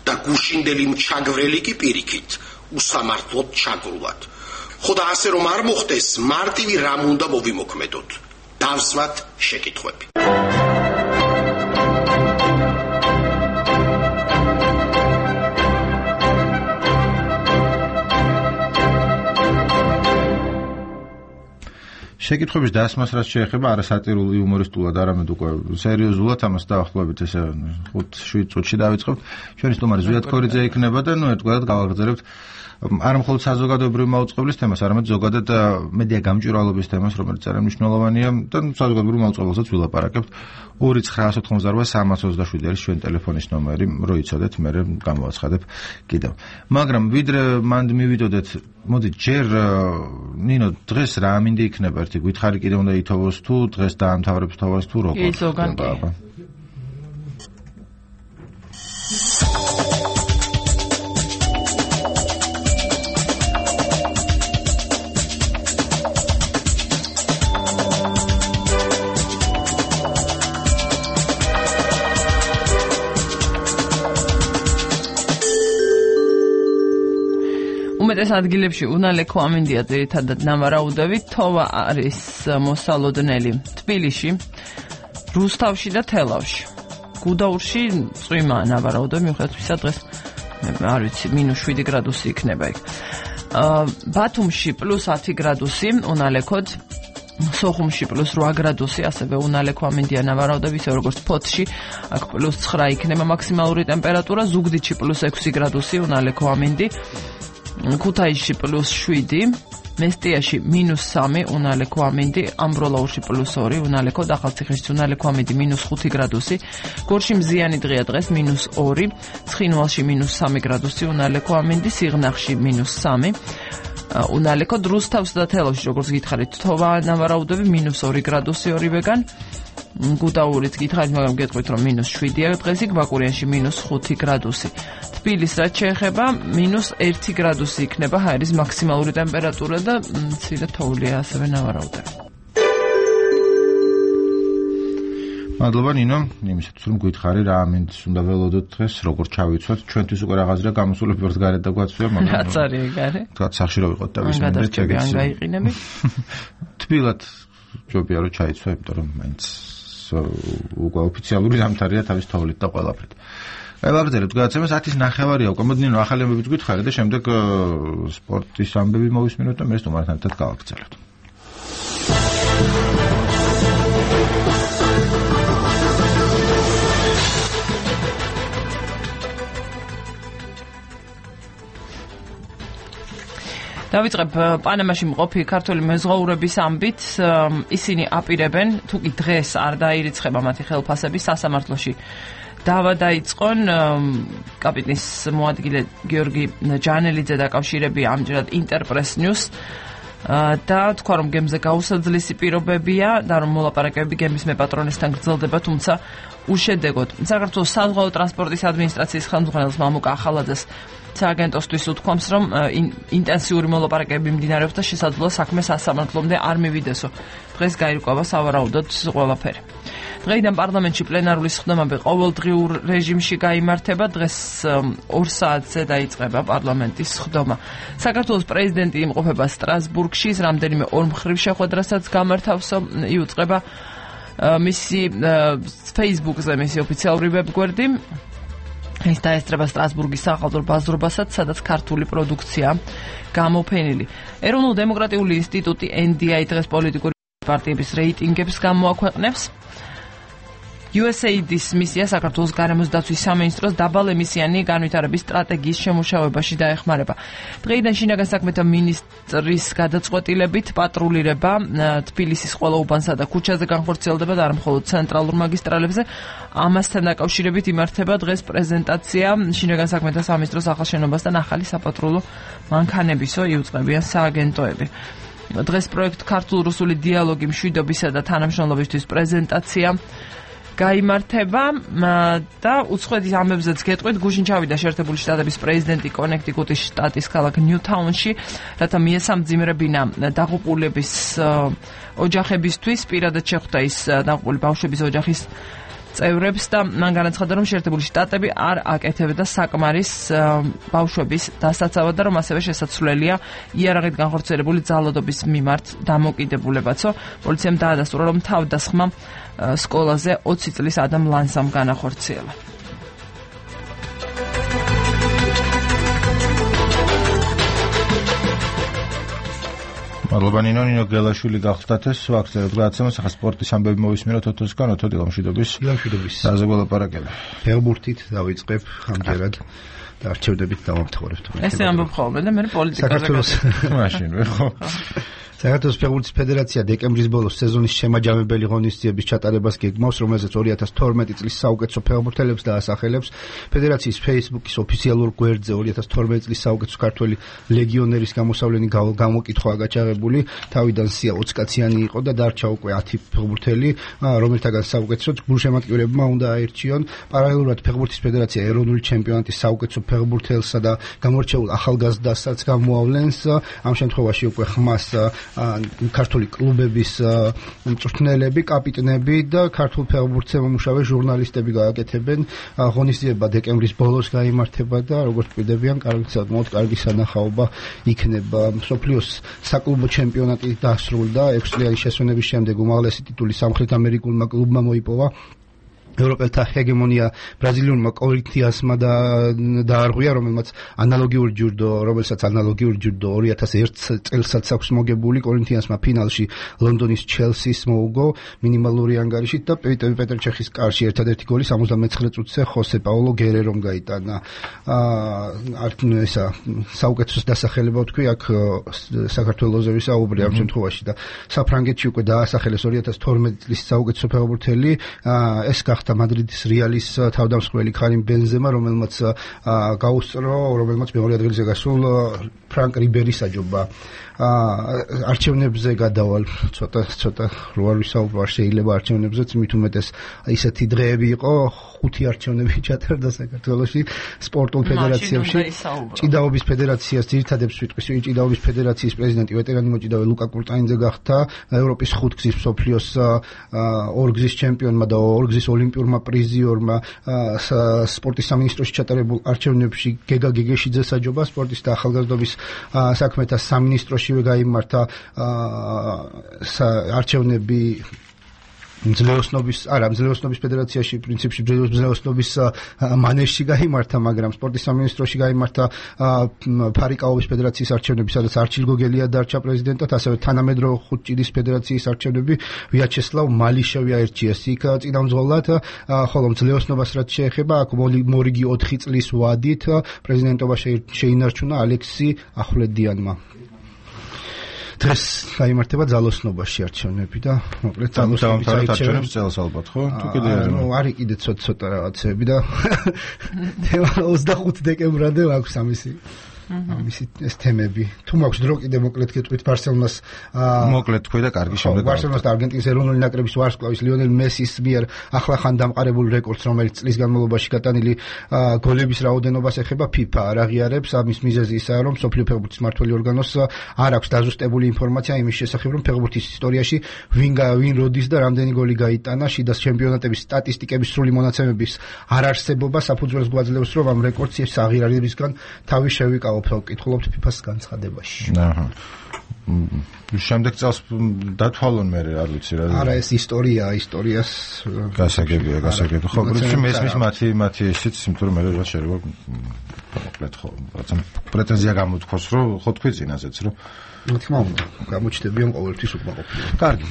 და გუშინდელი მჩაგვრელი კი პირიქით უსამართლოდ ჩაგრულად. ხო და ასე რომ არ მოხდეს, მარტივი რამ უნდა მოვიმოქმედოთ. დავსვათ შეკითხვები. შეკითხვების დასმას რაც შეეხება არასატირულ იუმორისტულად, არამედ უკვე სერიოზულად ამას დაახლოებით ესე 5-7 წუთში დავიწყებთ. ჩვენი სტუმარი ზვიად ქორიძე იქნება და ერთგვარად გავაგრძელებთ არა მხოლოდ საზოგადოებრივი მაუწყებლის თემას, არამედ ზოგადად მედია გამჭვირვალობის თემას, რომელიც ძალიან მნიშვნელოვანია და საზოგადოებრივ მაუწყებელსაც ვილაპარაკებთ. 2989327 არის ჩვენი ტელეფონის ნომერი, რო იცოდეთ, მე გამოვაცხადებ კიდევ. მაგრამ ვიდრე მანდ მივიდოდეთ, მოდი ჯერ ნინო დღეს რა მინდა იქნება ერთი გითხარი კიდე უნდა ითოვოს თუ დღეს დაამთავრებს თავს თუ როგორ ხდება? უმეტეს ადგილებში უნალექო ამინდია ძირითადად ნავარაუდებით, თოვა არის მოსალოდნელი თბილისში, რუსთავში და თელავში. გუდაურში წვიმა ნავარაუდები, მიუხედავად იმისა, დღეს არ ვიცი, -7 გრადუსი იქნება იქ. ბათუმში +10 გრადუსი უნალექოდ, სოხუმში +8 გრადუსი, ასევე უნალექო ამინდია ნავარაუდები, ისე როგორც ფოთში, აქ +9 იქნება მაქსიმალური ტემპერატურა, ზუგდიდში +6 გრადუსი უნალექო ამინდი. ქუთაისში +7, მესტიაში -3, უნალექო ამინდი, ამბროლაურში +2, უნალექო, ახალციხეში უნალექო ამინდი -5 გრადუსი, გორში მზიანი დღეა დღეს -2, ცხინვალში -3 გრადუსი, უნალექო ამინდი, სიღნაღში -3, უნალექო, დრუსთავსა და თელავში, როგორც გითხარით, თოვანავარაუდები -2 გრადუსი ორივეგან, გუდაურით გითხარით, მაგრამ გეტყვით, რომ -7-ია დღესი, ბაკურიანში -5 გრადუსი. თბილისს რაც შეეხება, -1 გრადუსი იქნება ჰაერის მაქსიმალური ტემპერატურა და მცირე თოვლია ასევე ნავარაუდები. მადლობა ნინო, იმისათვის რომ გითხარი რა ამინდს უნდა ველოდოთ დღეს, როგორ ჩავიცვათ, ჩვენთვის უკვე რაღაცა გამოსულები ვართ გარეთ და გვაცვია, მაგრამ რაც არის ეგარე. თქვა სახში რა ვიყოთ და ვისმენდეთ ეგეც. ან გაიყინები. თბილად ჯობია რომ ჩაიცვა, იმიტომ რომ მაინც უკვე ოფიციალური ზამთარია თავის თოვლით და ყველაფრით. ვაგრძელებთ გადაცემას 10:09-ია უკვე. მოდი ნინო, ახალი ამბებიც გითხარი და შემდეგ სპორტის ამბები მოვისმინოთ და მე სტუმართან ერთად გავაგრძელებთ. დავიწყებ პანამაში მყოფი ქართველი მეზღვაურების ამბით. ისინი აპირებენ, თუ კი დღეს არ დაირიცხება მათი ხელფასები, სასამართლოში დავა დაიწყონ. კაპიტნის მოადგილე გიორგი ჯანელიძე დაკავშირებია ამჯერად ინტერპრეს ნიუს და თქვა, რომ გემზე გაუსაძლისი პირობებია და რომ მოლაპარაკებები გემის მეპატრონესთან გრძელდება, თუმცა უშედეგოდ. საქართველოს საზღვაო ტრანსპორტის ადმინისტრაციის ხელმძღვანელს მამუკა ახალაძეს სააგენტოსთვის უთქვამს, რომ ინტენსიური მოლაპარაკებები მიმდინარეობს და შესაძლოა საქმე სასამართლომდე არ მივიდესო. დღეს გაირკვევა სავარაუდოდ ყველაფერი. დღეიდან პარლამენტში პლენარული სხდომები ყოველდღიურ რეჟიმში გაიმართება. დღეს 2 საათზე დაიწყება პარლამენტის სხდომა. საქართველოს პრეზიდენტი იმყოფება სტრასბურგში, რამდენიმე ორმხრივ შეხვედრასაც გამართავსო. იუწყება მისი Facebook-ზე მისი ოფიციალური ვებგვერდი. ის დაესწრება სტრასბურგის სახალხო ბაზრობასაც, სადაც ქართული პროდუქცია გამოფენილი. ეროვნულ-დემოკრატიული ინსტიტუტი NDI დღეს პოლიტიკური პარტიების რეიტინგებს გამოაქვეყნებს. USAID-ის მისია საქართველოს გარემოს დაცვის სამინისტროს დაბალემისიანი განვითარების სტრატეგიის შემუშავებაში დაეხმარება. დღეიდან შინაგან საქმეთა მინისტრის გადაწყვეტილებით პატრულირება თბილისის ყველა უბანსა და ქუჩაზე განხორციელდება და არ მხოლოდ ცენტრალურ მაგისტრალებზე. ამასთან დაკავშირებით იმართება დღეს პრეზენტაცია შინაგან საქმეთა სამინისტროს ახალ შენობასთან ახალი საპატრულო მანქანებისო იუწყებიან სააგენტოები. დღეს პროექტ ქართულ-რუსული დიალოგი მშვიდობისა და თანამშრომლობისთვის პრეზენტაცია გაიმართება და უცხოეთის ამბებზეც გეტყვით, გუშინ ჩავიდა შეერთებული შტატების პრეზიდენტი კონექტიკუტის შტატის ქალაქ ნიუთაუნში, რათა მიესამძიმრებინა დაღუპულების ოჯახებისთვის, პირადად შეხვდა ის დაღუპული ბავშვების ოჯახის წევრებს და მან განაცხადა, რომ შეერთებული შტატები არ აკეთებდა საკმარის ბავშვების დასაცავად და რომ ასევე შესაძლებელია იარაღით განხორციელებული ძალადობის მიმართ დამოკიდებულებაცო. პოლიციამ დაადასტურა, რომ თავდასხმა სკოლაზე 20 წლის ადამ ლანსამ განახორციელა. მადლობა ნინო გელაშვილი გახლდათ ეს ვაქცინებთ გადაცემას. ახლა სპორტის ამბები მოვისმინოთ ოთოსგან. ოთო დილამშვიდობის. სააზე გველაპარაკები. ფეხბურთით დავიწყებ ამჯერად და არჩევნებით დავამთავრებთ. ესე ამბობ ხოლმე და მე პოლიტიკაზე მაშინ ხო. საქართველოს ფეხბურთის ფედერაცია დეკემბრის ბოლოს სეზონის შემაჯამებელი ღონისძიების ჩატარებას გეგმავს, რომელზეც 2012 წლის საუკეთესო ფეხბურთელებს დაასახელებს. ფედერაციის Facebook-ის ოფიციალურ გვერდზე 2012 წლის საუკეთესო ქართველი ლეგიონერის გამოსავლენი გამოკითხვაა გაჩაღებული. თავიდან სია 20 კაციანი იყო და დარჩა უკვე 10 ფეხბურთელი, რომელთაგან საუკეთესოდ გულშემატკივრებმა უნდა აირჩიონ. პარალელურად ფეხბურთის ფედერაცია ეროვნული ჩემპიონატის საუკეთესო ფეხბურთელსა და გამორჩეულ ახალგაზრდასაც გამოავლენს. ამ შემთხვევაში უკვე ხმას ქართული კლუბების მწვრთნელები, კაპიტნები და ქართულ ფეხბურთზე მომუშავე ჟურნალისტები გააკეთებენ. ღონისძიება დეკემბრის ბოლოს გაიმართება და როგორც კვირდებიან, კარგი სანახაობა იქნება. მსოფლიოს საკლუბო ჩემპიონატი დასრულდა 6 წლიანი შესვენების შემდეგ უმაღლესი ტიტული სამხრეთ ამერიკულმა კლუბმა მოიპოვა. ევროპელთა ჰეგემონია ბრაზილიურმა კორინთიანსმა დაარღვია, რომელსაც ანალოგიური ჯილდო 2001 წელსაც აქვს მოგებული. კორინთიანსმა ფინალში ლონდონის ჩელსის მოუგო მინიმალური ანგარიშით და პეტერ ჩეხის კარში ერთადერთი გოლი 79 წუთზე ხოსე პაულო გერერომ გაიტანა. ესა საუკეთესო დასახელება ვთქვი, აქ საქართველოზე ვისაუბრე ამ შემთხვევაში და საფრანგეთში უკვე დაასახელეს 2012 წლის საუკეთესო ფეხბურთელი, ეს გახდა მადრიდის რეალის თავდამსხმელი ქარიმ ბენზემა, რომელმაც მეორე ადგილზე გასულ ფრანკ რიბერის აჯობა. არჩევნებზე გადავალ ცოტა რო არ ვისაუბრო, შეიძლება არჩევნებზეც, მით უმეტეს ისეთი დღეები იყო, 5 არჩევნები ჩატარდა საქართველოში სპორტულ ფედერაციებში. ჭიდაობის ფედერაციას ძირითადებს ვიტყვის, ჭიდაობის ფედერაციის პრეზიდენტი ვეტერანი მოჭიდავე ლუკა კურტაინძე გახდა, ევროპის 5 გზის მსოფლიოს 2 გზის ჩემპიონმა და 2 გზის ოლიმპიურმა პრიზიორმა სპორტის სამინისტროში ჩატარებულ არჩევნებში გეგა გეგეშიძეს აჯობა, სპორტის და ახალგაზრდობის საქმეთა სამინისტროშივე გაიმართა არჩევნები მძლეოსნობის ფედერაციაში, პრინციპში მძლეოსნობის მანეჟში გაიმართა, მაგრამ სპორტის სამინისტროში გაიმართა ფარიკაობის ფედერაციის არჩევნები, სადაც არჩილ გოგელია დარჩა პრეზიდენტად, ასევე თანამედროვე ხუთჭიდის ფედერაციის არჩევნები ვიაჩესლავ მალიშევი აირჩიეს იქ წინამძღოლად, ხოლო მძლეოსნობას რაც შეეხება, აქ მორიგი 4 წლის ვადით პრეზიდენტობა შეინარჩუნა ალექსი ახვლედიანმა. დღეს გაიმართება ძალოსნობაში არჩევნები და მოკლედ ძალოსნობის არჩევნებს წელს ალბათ, ხო? თუ კიდე არის კიდე ცოტა რაღაცები და 25 დეკემბრამდე აქვს ამისი ეს თემები. თუ მაქვს დრო კიდე მოკლედ გეტყვით ბარსელონას მოკლედ თქვი და კარგი შემდეგ ბარსელონას და არგენტინის ეროვნული ნაკრების ვარსკვლავის ლიონელ მესის მიერ ახლახან დამყარებულ რეკორდს, რომელიც წლის განმავლობაში გატანილი გოლების რაოდენობას ეხება FIFA არ აღიარებს. ამის მიზეზი ისაა, რომ მსოფლიო ფეხბურთის მმართველი ორგანოს არ აქვს დაზუსტებული ინფორმაცია იმის შესახებ, რომ ფეხბურთის ისტორიაში ვინ როდის და რამდენი გოლი გაიტანა. შიდა ჩემპიონატების სტატისტიკების სრული მონაცემების არ არსებობა საფუძველს გვაძლევს, რომ ამ რეკორდს აღიარებისგან თავი შევიკავო. ვკითხულობთ FIFA-ს განცხადებაში. შემდეგ წელს დათვალონ მე არ ვიცი რა. არა, ეს ისტორიას გასაგებია. ხო, პრინციპში მესმის მათი ისიც, იმიტომ რომ მე რა შეიძლება მოკლედ ხო, რაღაცა პრეტენზია გამოთქვას, რომ ხო თქვი წინაზეც, რომ თქმა უნდა, გამოჩნდებიან ყოველთვის უკმაყოფილება. კარგი,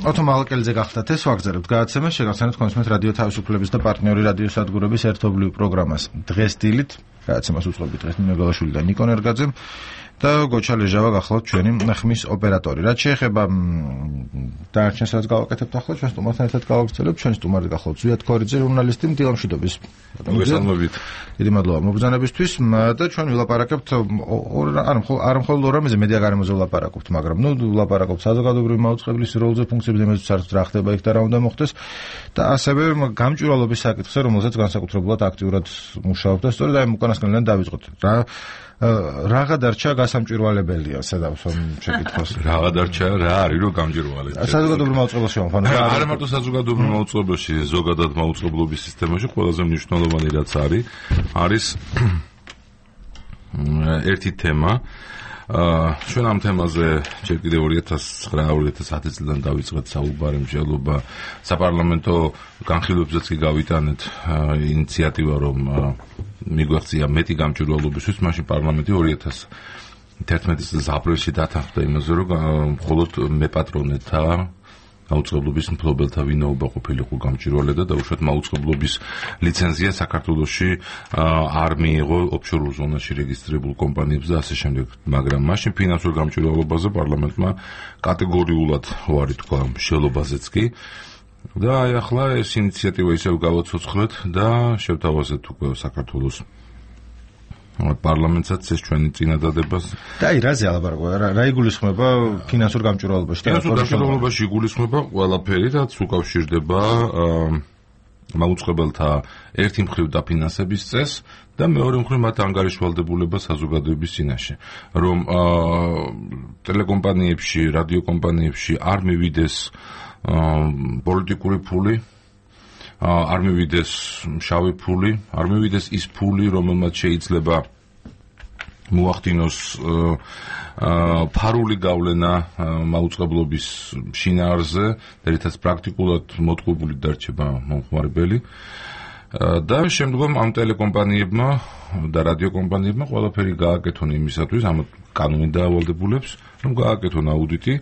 ოთო მალკელიძე გახდათ ეს ვაგზავნებთ გადაცემას, შეგახსენებთ კონსუმენტ რადიო თავისუფლების და პარტნიორი რადიო სადგურების ერთობლივ პროგრამას დღეს დილით. გადაცემას უწყობთ დღეს ნინო გალაშვილი და ნიკო ნერგაძე და გოჩა ლეჟავა გახლავთ ჩვენი ხმის ოპერატორი. რაც შეეხება დარჩენს რაც გავაკეთებთ ახლა, ჩვენ სტუმართან ერთად გავაგრძელებთ. ჩვენი სტუმარი გახლავთ ზვიად ქორიძე, ჟურნალისტი, მდივანშიდობის. მოგესალმებით. დიდი მადლობა მობრძანებისთვის და ჩვენ ვილაპარაკებთ არ მხოლოდ ორ რამეზე, მედია გარემოზე ვილაპარაკობთ, მაგრამ ვილაპარაკობთ საზოგადოებრივი მაუწყებლის როლზე, ფუნქციებზე, იმაზე რა ხდება იქ და რა უნდა მოხდეს და ასევე გამჭვირვალობის საკითხზე, რომელზეც განსაკუთრებულად აქტიურად მუშაობთ და სწორედ აი უკანასკნელიდან დავიწყოთ. რაღა დარჩა გასამჭვირვალებელია, სადავსო შეკითხვას. რაღა დარჩა რა არის რომ გამჭვირვალეა. საზოგადოებრივ მაუწყებელში ვამბობ. არა მარტო საზოგადოებრივ მაუწყებელში, ზოგადად მაუწყებლობის სისტემაში ყველაზე მნიშვნელოვანი რაც არის ერთი თემა. ჩვენ ამ თემაზე ჯერ კიდევ 2009-2010 წლიდან დავიწყეთ საუბარი, მსჯელობა საპარლამენტო განხილვებზეც კი გავიტანეთ ინიციატივა, რომ მიგვეღწია მეტი გამჭვირვალობისთვის. მაშინ პარლამენტი 2011 წლის აპრილში დათანხმდა იმაზე, რომ მხოლოდ მეპატრონეთა მაუწყებლობის მფლობელთა ვინაობა ყოფილიყო გამჭვირვალე და დაუშვათ მაუწყებლობის ლიცენზია საქართველოში არ მიიღო ოფშორულ ზონაში რეგისტრირებულ კომპანიებს და ასე შემდეგ. მაგრამ მაშინ ფინანსურ გამჭვირვალობაზე პარლამენტმა კატეგორიულად უარი თქვა მშელობაზეც კი. და აი ახლა ეს ინიციატივა ისევ გავაცოცხლეთ და შევთავაზეთ უკვე საქართველოს პარლამენტსაც ეს ჩვენი წინადადებას. და აი რაზე ალაპარაკო? რა იგულისხმება ფინანსურ გამჭვირვალობაში? ფინანსურ გამჭვირვალობაში იგულისხმება ყველაფერი, რაც უკავშირდება მაუწყებელთა ერთი მხრივ დაფინანსების წესს და მეორე მხრივ მათ ანგარიშვალდებულება საზოგადოების წინაშე, რომ ტელეკომპანიებში, რადიოკომპანიებში არ მივიდეს პოლიტიკური ფული, არ მივიდეს შავი ფული, არ მივიდეს ის ფული, რომელმაც შეიძლება მოახდინოს ფარული გავლენა მაუწყებლობის შინაარზე, რითაც პრაქტიკულად მოტყუებული დარჩება მომხმარებელი. და შემდგომ ამ ტელეკომპანიებმა და რადიოკომპანიებმა ყველაფერი გააკეთონ იმისათვის, ამ კანონით დაავალდებულებს, რომ გააკეთონ აუდიტი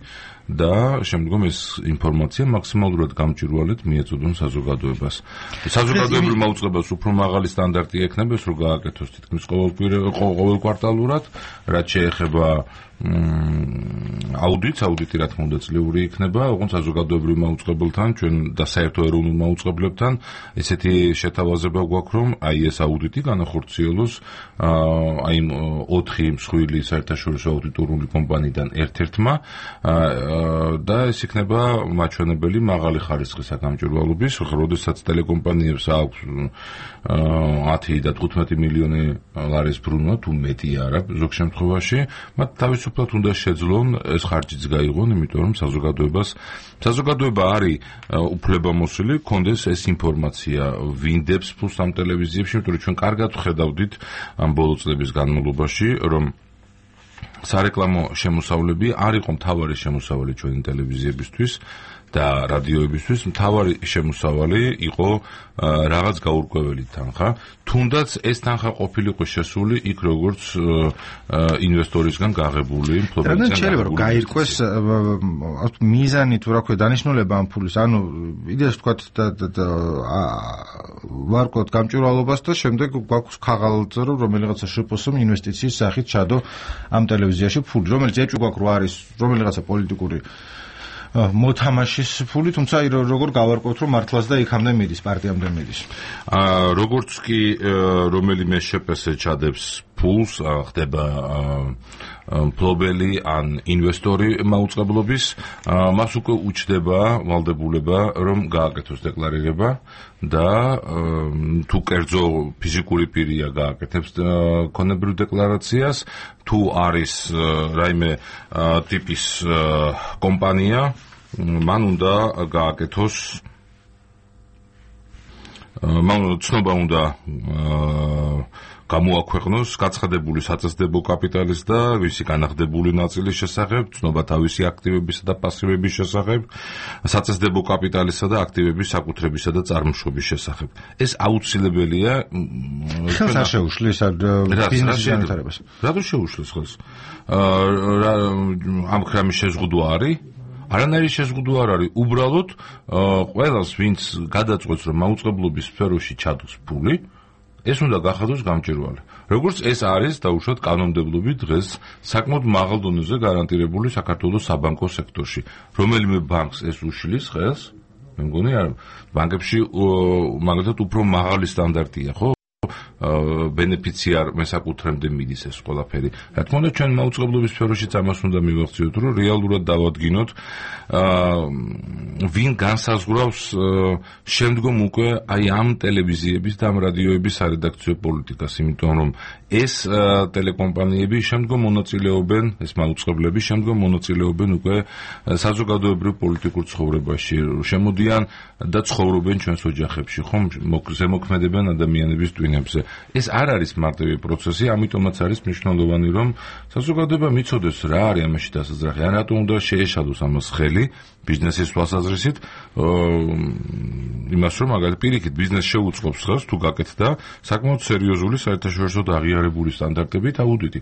და შემდგომ ეს ინფორმაცია მაქსიმალურად გამჭვირვალედ მიეწოდონ საზოგადოებას. საზოგადოებრივ მაუწყებლობას უფრო მაღალი სტანდარტი ექნება, რომ გააკეთოს თითქმის ყოველ კვარტალურად, რაც შეეხება აუდიტი რა თქმა უნდა ძლიური იქნება, ოღონდ საზოგადოებრივ მაუწყებელთან, ჩვენ და საერთო ეროვნულ მაუწყებლებთან ესეთი შეთავაზება გვაქვს, რომ აი ეს აუდიტი განახორციელოს აი 4 მსხვილი საერთაშორისო აუდიტორული კომპანიიდან ერთ-ერთმა და ეს იქნება მაჩვენებელი მაღალი ხარისხის გამჭვირვალობის, როდესაც ტელეკომპანიებს აქვს 10 და 15 მილიონი ლარის ბრუნვა, თუ მეტი არა ზოგ შემთხვევაში, მათ თავისუფლად უნდა შეძლონ ეს ხარჯიც გაიღონ, იმიტომ რომ საზოგადოება არის უფლებამოსილი, კონდეს ეს ინფორმაცია, ვინდებს ფულს ამ ტელევიზიებში, იმიტომ რომ ჩვენ კარგად ვხედავდით ამ ბოლო წლების განმავლობაში, რომ სარეკლამო შემოსავლები არ იყო მთავარი შემოსავალი ჩვენი ტელევიზიებისთვის და რადიოებისთვის, მთავარი შემოსავალი იყო რაღაც გაურკვეველი თანხა, თუნდაც ეს თანხა ყოფილიყო შესული იქ როგორც ინვესტორისგან გაღებული, მფლობელისგან გაღებული. გაირკვეს მიზანი თუ რა ქვია დანიშნულება ამ ფულის, ანუ იდეას ვთქვათ და ვარკვევთ გამჭვირვალობას და შემდეგ გვაქვს ქაღალდზე, რომ რომელიღაცა შპს-მ ინვესტიციის სახით ჩადო ამ ტელევიზიაში ფული, რომელიც ეჭვი გვაქვს რომ არის რომელიღაცა პოლიტიკური მოთამაშის ფული, თუმცა როგორ გავარკვევთ, რომ მართლაც და იქამდე მიდის, პარტიამდე მიდის. როგორც კი რომელიმე შპს ჩადებს ფულს, ხდება მფლობელი ან ინვესტორი მაუწყებლობის, მას უკვე უჩდება ვალდებულება, რომ გააკეთოს დეკლარირება და თუ კერძო ფიზიკური პირია გააკეთებს ქონებრივ დეკლარაციას, თუ არის რაიმე ტიპის კომპანია, მან უნდა გააკეთოს ცნობა უნდა გამოაქვეყნოს გაცხადებული საწესდებო კაპიტალის და ვისი განახდებული ნაწილის შესახებ, ცნობა თავისი აქტივებისა და პასივების შესახებ, საწესდებო კაპიტალისა და აქტივების საკუთრებისა და წარმოშობის შესახებ. ეს აუცილებელია. ხელს არ შეუშლის ბიზნესის განვითარებას. რატო შეუშლის ხელს? ამ კრამის შეზღუდვა არის? არანაირი შეზღუდვა არ არის. უბრალოდ ყველას, ვინც გადაწყვეტს, რომ მაუწყებლობის სფეროში ჩადოს ფული, ეს უნდა გახადოს გამჭვირვალე. როგორც ეს არის დაუშვათ კანონმდებლობით დღეს საკმაოდ მაღალ დონეზე გარანტირებული საქართველოს საბანკო სექტორში. რომელიმე ბანკს ეს უშლის ხელს, მე მგონი არ ბანკებში მაგალითად უფრო მაღალი სტანდარტია, ხო? ბენეფიციარ მესაკუთრემდე მიდის ეს ყველაფერი. რა თქმა უნდა, ჩვენ მაუწყებლობის სფეროშიც ამას უნდა მივახციოთ, რომ რეალურად დავადგინოთ, ვინ განსაზღვრავს შემდგომ უკვე აი ამ ტელევიზიების და ამ რადიოების სარედაქციო პოლიტიკას, იმიტომ რომ ეს ტელეკომპანიები შემდგომ მონაწილეობენ, ეს მაუწყებლები შემდგომ მონაწილეობენ უკვე საზოგადოებრივ პოლიტიკურ ცხოვრებაში, შემოდიან და ცხოვრობენ ჩვენს ოჯახებში, ხომ, ზემოქმედებენ ადამიანების ტვინებზე. ეს არ არის მარტივი პროცესი, ამიტომაც არის მნიშვნელოვანი, რომ საზოგადოება მიცოდეს რა არის ამაში დასაძრახი, ან რატომ უნდა შეეშალოს ამას ხელი ბიზნესის თვალსაზრისით, იმას რომ მაგალითად პირიქით ბიზნეს შეუწყობს ხელს თუ გაკეთდა საკმაოდ სერიოზული საერთაშორისო აღიარებული სტანდარტებით აუდიტი.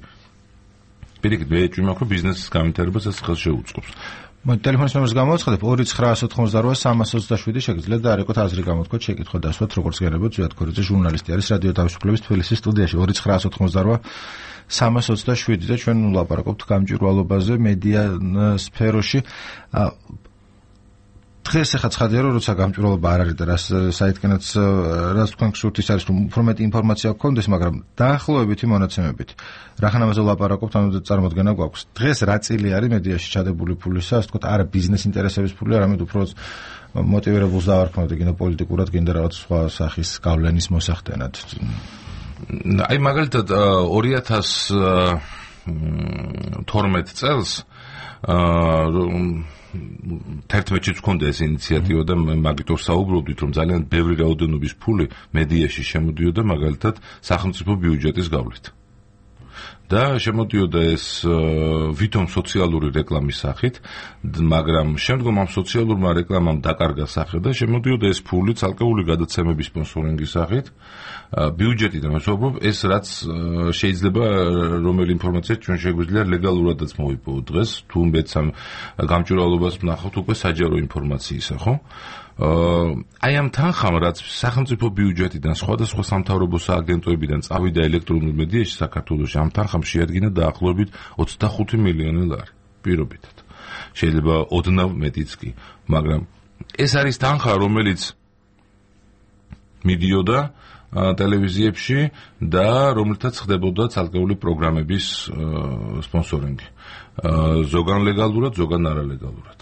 პირიქით მე ეჭვი მაქვს, რომ ბიზნესის განვითარებას ეს ხელს შეუწყობს. ტელეფონის ნომერს გამოვაცხადებ 2988 შეგიძლიათ და არ ეკოთ აზრი გამოთქვათ, შეკითხვა დასვათ, როგორც გერებოთ, ზვიად ქორიძე ჟურნალისტი არის რადიო თავისუფლების თბილისის სტუდიაში 2988 და ჩვენ ვლაპარაკობთ გამჭვირვალობაზე მედია სფეროში. დღეს ახლა ცხადია, რომ როცა გამჭვირვალობა არ არის და საერთკენაც რაც თქვენ გსურთ ის არის, რომ უფრო მეტი ინფორმაცია გქონდეს, მაგრამ დაახლოებითი მონაცემებით რახანამაზე ვლაპარაკობთ, ანუ წარმოდგენა გვაქვს. დღეს რა წილი არის მედიაში ჩადებული ფულისა, ასე ვთქვათ, არა ბიზნეს ინტერესების ფული, არამედ უფრო მოტივირებულს დავარქმევთ, გინდა პოლიტიკურად, გინდა რაღაც სხვა სახის გავლენის მოსახდენად. აი მაგალითად 2012 წელს 11-ში გქონდა ეს ინიციატივა და მაგითო საუბრობდით, რომ ძალიან ბევრი რაოდენობის ფული მედიაში შემოდიოდა მაგალითად სახელმწიფო ბიუჯეტის გავლით. და შემოდიოდა ეს ვითომ სოციალური რეკლამის სახით, მაგრამ შემდგომ ამ სოციალურმა რეკლამამ დაკარგა სახე და შემოდიოდა ეს ფული ცალკეული გადაცემების სპონსორინგის სახით, ბიუჯეტიდან ვსაუბრობ, ეს რაც შეიძლება რომელი ინფორმაცია ჩვენ შეგვიძლია ლეგალურადაც მოვიპოვოთ დღეს, თუმცა ამ გამჭვირვალობას ვნახავთ უკვე საჯარო ინფორმაციისა, ხო? აი ამ თანხამ, რაც სახელმწიფო ბიუჯეტიდან სხვადასხვა სამთავრობო სააგენტოებიდან წავიდა ელექტრონულ მედიაში საქართველოში, ამ თანხამ შეადგინა დაახლოებით 25 მილიონი ლარი პირობითად. შეიძლება ოდნავ მეტიც კი, მაგრამ ეს არის თანხა, რომელიც მიდიოდა ტელევიზიებში და რომელთაც ხდებოდა ცალკეული პროგრამების სპონსორინგი. ზოგან ლეგალურად, ზოგან არალეგალურად.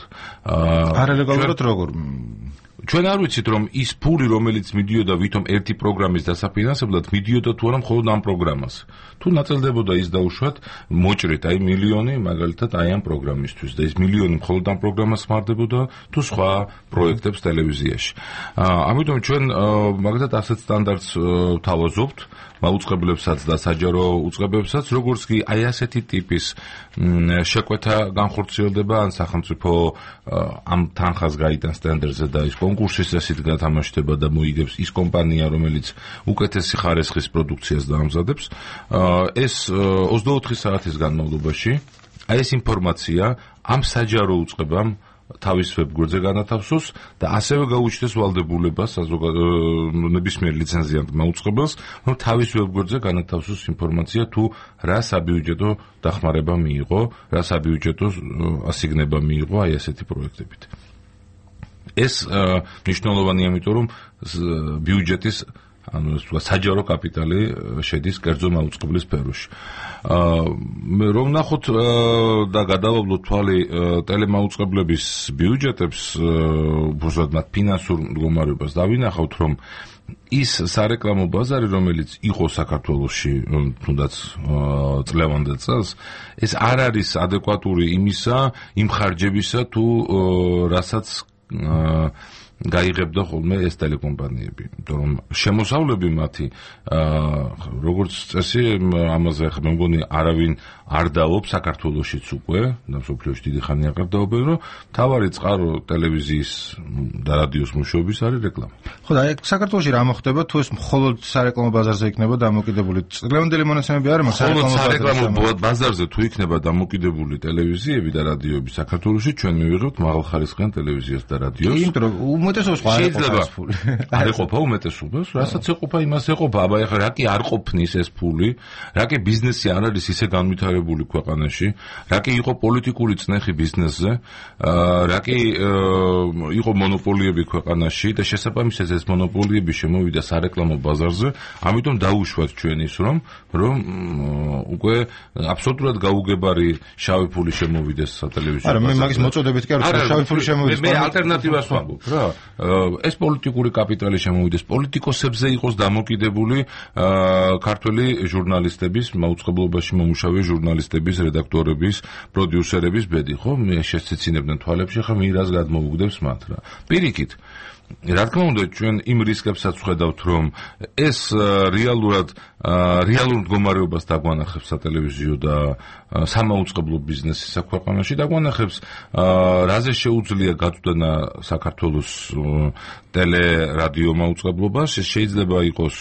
არალეგალურად როგორ? ჩვენ არ ვიცით რომ ის ფული რომელიც მიდიოდა ვითომ ერთი პროგრამის დასაფინანსებლად მიდიოდა თუ არა მხოლოდ ამ პროგრამას. თუ ნაწილდებოდა ის დაუშვათ მოჭრით აი მილიონი მაგალითად აი ამ პროგრამისთვის და ეს მილიონი მხოლოდ ამ პროგრამას ხმარდებოდა თუ სხვა პროექტებს ტელევიზიაში. ამიტომ ჩვენ მაგალითად ასეთ სტანდარტს ვთავაზობთ მაუწყებლებსაც და საჯარო უწყებებსაც, როგორც კი აი ასეთი ტიპის შეკვეთა განხორციელდება ან სახელმწიფო ამ თანხას გაიტანს ტენდერზე და ის კონკურსის წესით გათამაშდება და მოიგებს ის კომპანია, რომელიც უკეთესი ხარისხის პროდუქციას დაამზადებს, ეს 24 საათის განმავლობაში აი ეს ინფორმაცია ამ საჯარო უწყებამ თავის ვებგვერდზე განათავსოს და ასევე გაუჩნდეს ვალდებულებას ნებისმიერ ლიცენზიანტმა უწყებელს, რომ თავის ვებგვერდზე განათავსოს ინფორმაცია თუ რა საბიუჯეტო დახმარება მიიღო, რა საბიუჯეტო ასიგნება მიიღო აი ასეთი პროექტებით. ეს მნიშვნელოვანია, იმიტომ რომ ბიუჯეტის საჯარო კაპიტალი შედის კერძო მაუწყებლის სფეროში. რომ ნახოთ და გადავავლოთ თვალი ტელემაუწყებლების ბიუჯეტებს, უბრალოდ მათ ფინანსურ მდგომარეობას დავინახავთ, რომ ის სარეკლამო ბაზარი, რომელიც იყო საქართველოში თუნდაც წლევანდელ წელს, ეს არ არის ადეკვატური იმისა, იმ ხარჯებისა თუ რასაც გაიღებდა ხოლმე ეს ტელეკომპანიები, იმიტომ რომ შემოსავლები მათი როგორც წესი ამაზე ხა მე მგონი არავინ არ დაობს საქართველოშიც უკვე და მსოფლიოში დიდი ხანია არ დაობენ, რომ თავარი წყარო ტელევიზიის და რადიოს მუშაობის არის რეკლამა. ხო და საქართველოში რა მოხდება თუ ეს მხოლოდ სარეკლამო ბაზარზე იქნება დამოკიდებული? წლევანდელი მონაცემები არ მაქვს სარეკლამო ბაზარზე თუ იქნება დამოკიდებული ტელევიზიები და რადიოები საქართველოში, ჩვენ მივიღებთ მაღალხარისხიან ტელევიზიას და რადიოს. იმიტომ რომ უმეტესობას შეიძლება არ ეყოფა უმეტესობას, რასაც ეყოფა იმას ეყოფა. აბა ეხლა რა კი არ ყოფნის ეს ფული, რა კი ბიზნესი არ არის ისე განვითარებული ქვეყანაში, რა კი იყო პოლიტიკური წნეხი ბიზნესზე, რა კი იყო მონოპოლიები ქვეყანაში და შესაბამისად ეს მონოპოლიები შემოვიდა სარეკლამო ბაზარზე, ამიტომ დაუშვათ ჩვენ ის რომ უკვე აბსოლუტურად გაუგებარი შავი ფული შემოვიდეს სატელევიზიო ბაზარზე. არა, მე მაგის მოწოდებით კი არ ვთქვი, შავი ფული შემოვიდეს. მე ალტერნატივას ვამბობ რა. ეს პოლიტიკური კაპიტალი შემოვიდეს, პოლიტიკოსებზე იყოს დამოკიდებული ქართველი ჟურნალისტების, მაუწყებლობაში მომუშავე ჟურნალისტების, რედაქტორების, პროდიუსერების ბედი, ხო? მე შეცეცინებდნენ თვალებში, ხა მირას გადმოუგდებს მათ რა. პირიქით რა თქმა უნდა ჩვენ იმ რისკებსაც ვხედავთ რომ ეს რეალურად რეალურ მდგომარეობას დაგვანახებს სატელევიზიო და სამაუწყებლო ბიზნესის საქვეყანოში დაგვანახებს რაზე შეუძლია გაწვდნა საქართველოს ტელე-რადიო მაუწყებლობას შეიძლება იყოს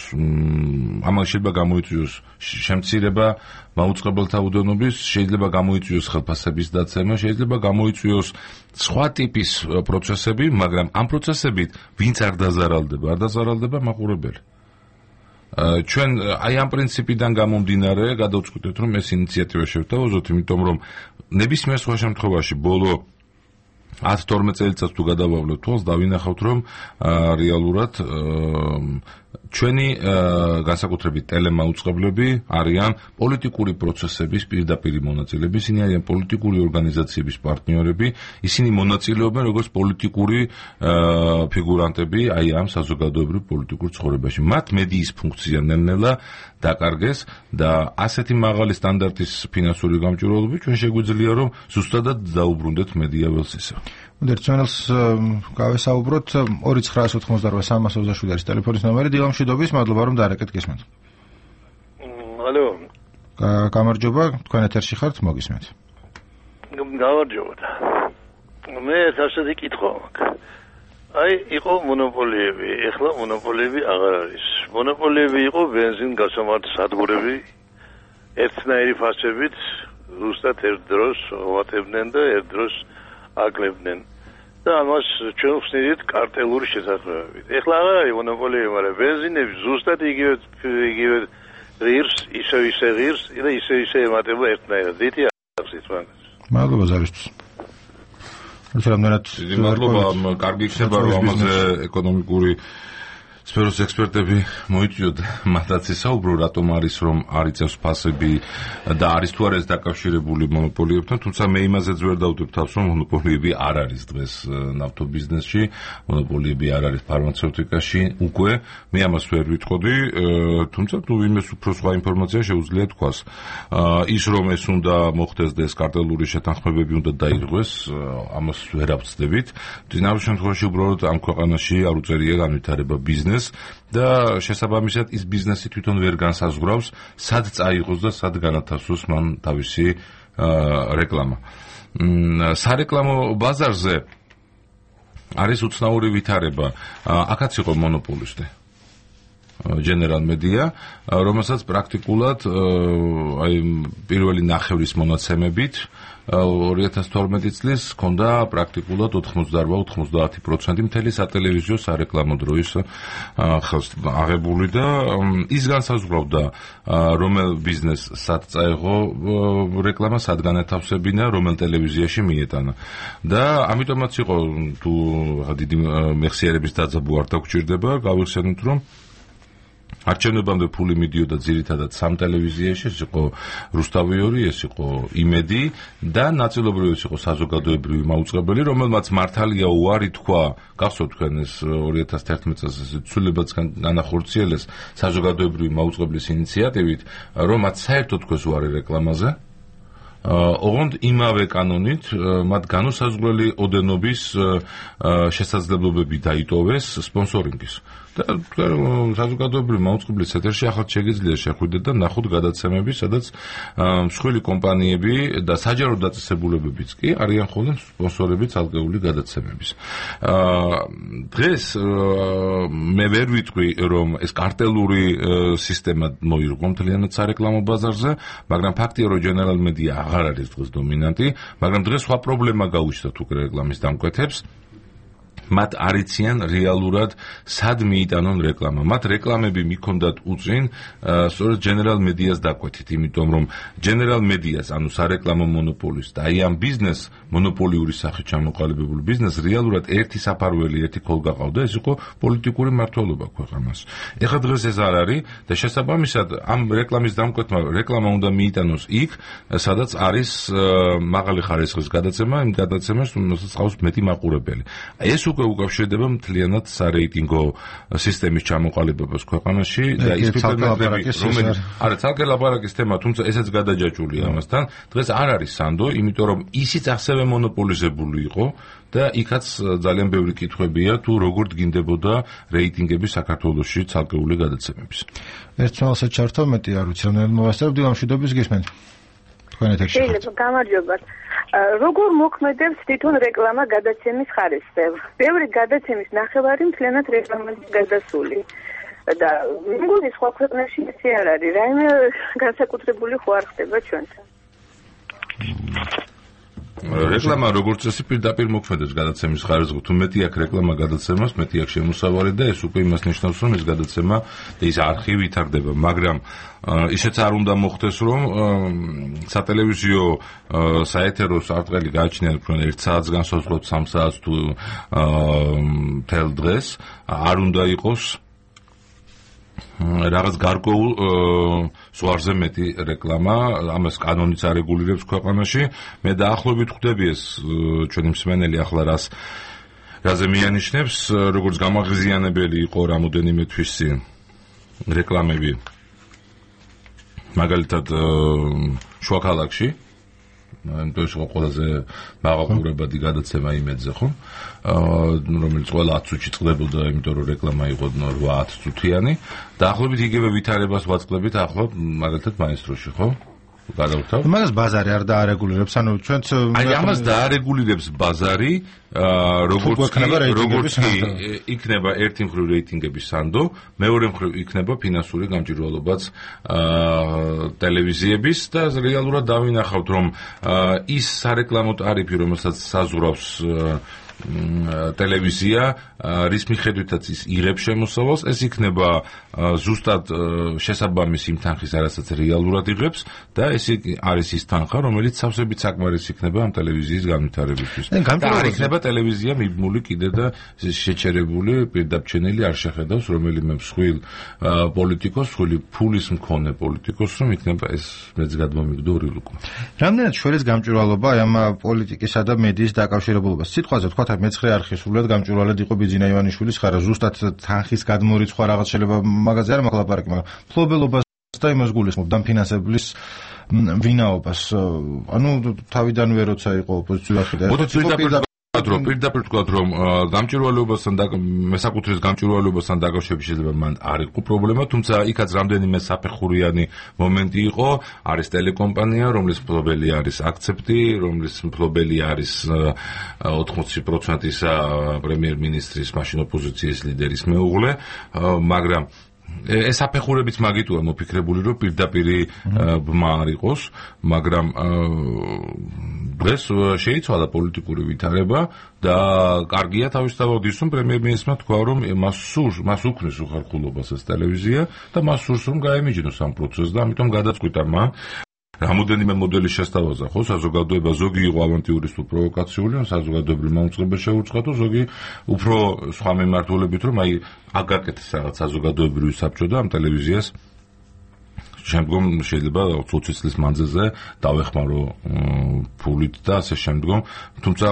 ამან შეიძლება გამოიწვიოს შემცირება მაუწყებელთა უდენობის შეიძლება გამოიწვიოს ხელფასების დაცემა შეიძლება გამოიწვიოს სხვა ტიპის პროცესები მაგრამ ამ პროცესებით ვინც არ დაზარალდება მაყურებელი ჩვენ აი ამ პრინციპიდან გამომდინარე გადავწყვიტეთ რომ ეს ინიციატივა შევთავაზოთ იმიტომ რომ ნებისმიერ სხვა შემთხვევაში ბოლო 10-12 წელიწადს თუ გადავავლეთ თვალს დავინახავთ რომ რეალურად ჩვენი განსაკუთრებით ტელემაუწყებლები არიან პოლიტიკური პროცესების პირდაპირი მონაწილეები, ისინი არიან პოლიტიკური ორგანიზაციების პარტნიორები, ისინი მონაწილეობენ როგორც პოლიტიკური ფიგურანტები აი ამ საზოგადოებრივ პოლიტიკურ ცხოვრებაში. მათ მედიის ფუნქცია ნელ-ნელა დაკარგეს და ასეთი მაღალი სტანდარტის ფინანსური გამჭვირვალობით ჩვენ შეგვიძლია რომ ზუსტადად დაუბრუნდეთ მედია ველს ისე. ერთმანეთს გავესაუბროთ 2988-327 არის ტელეფონის ნომერი დილამშვიდობის მადლობა რომ დაარეკეთ გესმენთ. ალო გამარჯობა, თქვენ ეთერში ხართ, მოგისმენთ. გამარჯობა. მე ასეთი კითხვა მაქვს. აი, იყო მონოპოლიები, ეხლა მონოპოლიები აღარ არის. მონოპოლიები იყო ბენზინ გასამართ სადგურები, ერთნაირი ფასებით, ზუსტად ერთ დროს ვატებდნენ და ერთ დროს აკლებდნენ. და ამას ჩვენ ვხსნით კარტელური შესაძლებლობით. ეხლა აღარ არის მონოპოლიები, მაგრამ ბენზინები ზუსტად იგივე ღირს, ისე ღირს და ისე ემატება ერთნაირად. დიდი ახსით მაგას. მადლობა ზარისთვის. მადლობა, კარგი იქნება რომ ამაზე ეკონომიკური სფეროს ექსპერტები მოიწვიოთ მათაც ისაუბრო რატომ არის რომ არ იწევს ფასები და არის თუ არა ეს დაკავშირებული მონოპოლიებთან, თუმცა მე იმაზეც ვერ დავდებ თავს რომ მონოპოლიები არ არის დღეს ნავთობიზნესში, მონოპოლიები არ არის ფარმაცევტიკაში უკვე, მე ამას ვერ ვიტყოდი, თუმცა თუ იმეს უფრო სხვა ინფორმაცია შეუძლია თქვას. ის რომ ეს უნდა მოხდეს და ეს კარტელური შეთანხმებები უნდა დაირღვეს, ამას ვერ ავწდებით. წინააღმდეგ შემთხვევაში უბრალოდ ამ ქვეყანაში არ უწერია განვითარება ბიზნეს და შესაბამისად ის ბიზნესი თვითონ ვერ განსაზღვრავს, სად წაიღოს და სად განათავსოს მან თავისი რეკლამა. სარეკლამო ბაზარზე არის უცნაური ვითარება. აქაც იყო მონოპოლისტი. General Media, რომელსაც პრაქტიკულად აი პირველი ნახევრის მონაცემებით 2012 წლის ჰქონდა პრაქტიკულად 88-90% მთელი სატელევიზიო სარეკლამო დროის ხელს აღებული და ის განსაზღვრავდა რომელ ბიზნესს სად წაეღო რეკლამა, სად განათავსებინა, რომელ ტელევიზიაში მიეტანა. და ამიტომაც იყო თუ დიდი მეხსიერების დაძაბვა არ დაგჭირდება, გავიხსენოთ რომ არჩევნებამდე ფული მიდიოდა ძირითადად სამ ტელევიზიაში, ეს იყო რუსთავი 2, ეს იყო იმედი და ნაწილობრივ ეს იყო საზოგადოებრივი მაუწყებელი, რომელმაც მართალია უარი თქვა, გახსოვთ თქვენ ეს 2011 წელს ცვლილებაც განახორციელეს საზოგადოებრივი მაუწყებლის ინიციატივით, რომ მათ საერთოდ თქვეს უარი რეკლამაზე. ოღონდ იმავე კანონით მათ განუსაზღვრელი ოდენობის შესაძლებლობები დაიტოვეს სპონსორინგის. და საზოგადოებრივი მაუწყებლის ეთერში ახლა შეგიძლია შეხვიდეთ და ნახოთ გადაცემები, სადაც მსხვილი კომპანიები და საჯარო დაწესებულებებიც კი არიან ხოლმე სპონსორები ცალკეული გადაცემების. დღეს მე ვერ ვიტყვი რომ ეს კარტელური სისტემა მოირგო მთლიანად სარეკლამო ბაზარზე, მაგრამ ფაქტია რომ General Media აღარ არის დღეს დომინანტი, მაგრამ დღეს სხვა პრობლემა გაუჩნდათ უკვე რეკლამის დამკვეთებს. მათ არიციან რეალურად სად მიიტანონ რეკლამა. მათ რეკლამები მიქონდათ უწინ სწორედ General Media-ს დაკვეთით, იმიტომ რომ General Media-ს, ანუ სარეკლამო მონოპოლის და აი ამ ბიზნეს მონოპოლიური სახით ჩამოყალიბებული ბიზნეს რეალურად ერთი საფარველი, ერთი ქოლგა ყავდა, ეს იყო პოლიტიკური მმართველობა ქვეყანას. ეხლა დღეს ეს არ არის და შესაბამისად ამ რეკლამის დამკვეთმა რეკლამა უნდა მიიტანოს იქ, სადაც არის მაღალი ხარისხის გადაცემა, იმ გადაცემას, რომელსაც ყავს მეტი მაყურებელი. ეს უკავშირდება მთლიანად სარეიტინგო სისტემის ჩამოყალიბებას ქვეყანაში და ის ფიქრობები, რომელიც არა ცალკე ლაპარაკის თემა, თუმცა ესეც გადაჯაჭვულია ამასთან. დღეს არ არის სანდო, იმიტომ რომ ისიც ასევე მონოპოლიზებული იყო და იქაც ძალიან ბევრი კითხვებია თუ როგორ დგინდებოდა რეიტინგები საქართველოში ცალკეული გადაცემების. ერთ თვალსაც ჩართო მეტი არ ვიცი, რომ მოვასწრებ დილამშვიდობის გისმენთ. თქვენ ეთერში. შეიძლება გამარჯობა. როგორ მოქმედებს თვითონ რეკლამა გადაცემის ხარისხზე? ბევრი გადაცემის ნახევარი მთლიანად რეკლამაზე გადასული. და მეგონი სხვა ქვეყნებში ისე არ არის. რაიმე განსაკუთრებული ხო არ ხდება ჩვენთან. რეკლამა როგორც წესი პირდაპირ მოქმედებს გადაცემის ხარისხზე. თუ მეტი აქვს რეკლამა გადაცემას, მეტი აქვს შემოსავალი და ეს უკვე იმას ნიშნავს, რომ ეს გადაცემა და ის არხი ვითარდება, მაგრამ ისეც არ უნდა მოხდეს, რომ სატელევიზიო საეთერო სარტყელი გააჩნიათ თქვენ 1 საათს განსაზღვროთ 3 საათს თუ თელ დღეს, არ უნდა იყოს რაღაც გარკვეულ ზღვარზე მეტი რეკლამა, ამას კანონიც არეგულირებს ქვეყანაში. მე დაახლოებით ხვდები ეს ჩვენი მსმენელი ახლა რაზე მიანიშნებს, როგორც გამაღიზიანებელი იყო რამოდენიმე თვის წინ რეკლამები. მაგალითად შუა ქალაქში ეს იყო ყველაზე მაღალყურებადი გადაცემა იმედზე, ხო? რომელიც ყველა 10 წუთში წყდებოდა, იმიტომ რომ რეკლამა იყო 8-10 წუთიანი. დაახლოებით იგივე ვითარებას ვაწყდებით ახლა მაგალითად მაესტროში, ხო? გადავთავ. მაგას ბაზარი არ დაარეგულირებს, ანუ ჩვენც აი ამას დაარეგულირებს ბაზარი, როგორც იქნება ერთი მხრივ რეიტინგების სანდო, მეორე მხრივ იქნება ფინანსური გამჭვირვალობაც ტელევიზიების და რეალურად დავინახავთ, რომ ის სარეკლამო ტარიფი, რომელსაც საზღვრავს ტელევიზია, რის მიხედვითაც ის იღებს შემოსავალს, ეს იქნება ზუსტად შესაბამის იმ თანხის, რასაც რეალურად იღებს და ეს არის ის თანხა, რომელიც სავსებით საკმარისი იქნება ამ ტელევიზიის განვითარებისთვის. და არ იქნება ტელევიზია მიბმული კიდე და შეჩერებული, პირდაპირ არ შეხედავს რომელიმე მსხვილ პოლიტიკოს, მსხვილი ფულის მქონე პოლიტიკოს, რომ იქნება ეს მეც გადმომიგდო რილუკო. რამდენად შველის გამჭვირვალობა ამ პოლიტიკისა და მედიის დაკავშირებულობას? სიტყვაზე თქვა მე-9 არხი სულად გამჭვირვალედ იყო ბიძინა ივანიშვილის ხარა, ზუსტად თანხის გადმორიცხვა რაღაც შეიძლება მაგაზე არ მაქვს ლაპარაკი, მაგრამ ფლობელობას და იმას გულისხმობ და ფინანსებლის ვინაობას. ანუ თავიდანვე როცა იყო ოპოზიციური პირდაპირ თქვა რომ გამჭვირვალეობასთან და მესაკუთრების გამჭვირვალეობასთან დაკავშირებით შეიძლება მან არ იყო პრობლემა, თუმცა იქაც რამდენიმე საფეხურიანი მომენტი იყო, არის ტელეკომპანია, რომლის მფლობელი არის აქცეპტი, რომლის მფლობელი არის 80%-ისა პრემიერ-მინისტრის მაშინ ოპოზიციის ლიდერის მეუღლე, მაგრამ ეს საფეხურებიც მაგიტოა მოფიქრებული, რომ პირდაპირ ბმა არ იყოს, მაგრამ დღეს შეიცვალა პოლიტიკური ვითარება და კარგია თავისთავად ის, რომ პრემიერ-მინისტრმა თქვა, რომ მას უქმნის უხერხულობას ეს ტელევიზია და მას სურს, რომ გაემიჯნოს ამ პროცესს და ამიტომ გადაწყვიტა მან რამოდენიმე მოდელის შესთავაზა, ხო, საზოგადოება ზოგი იყო ავანტიურისტულ პროვოკაციული, საზოგადოებრივ მომწყებელ შეუწყато, ზოგი უფრო სხვა მიმართულებით, რომ აი აგაკეთეს რაღაც საზოგადოებრივი საბჭო და ამ ტელევიზიას შემდგომ შეიძლება 20 წლის მანძილზე დავეხმარო ფულით და ასე შემდგომ, თუმცა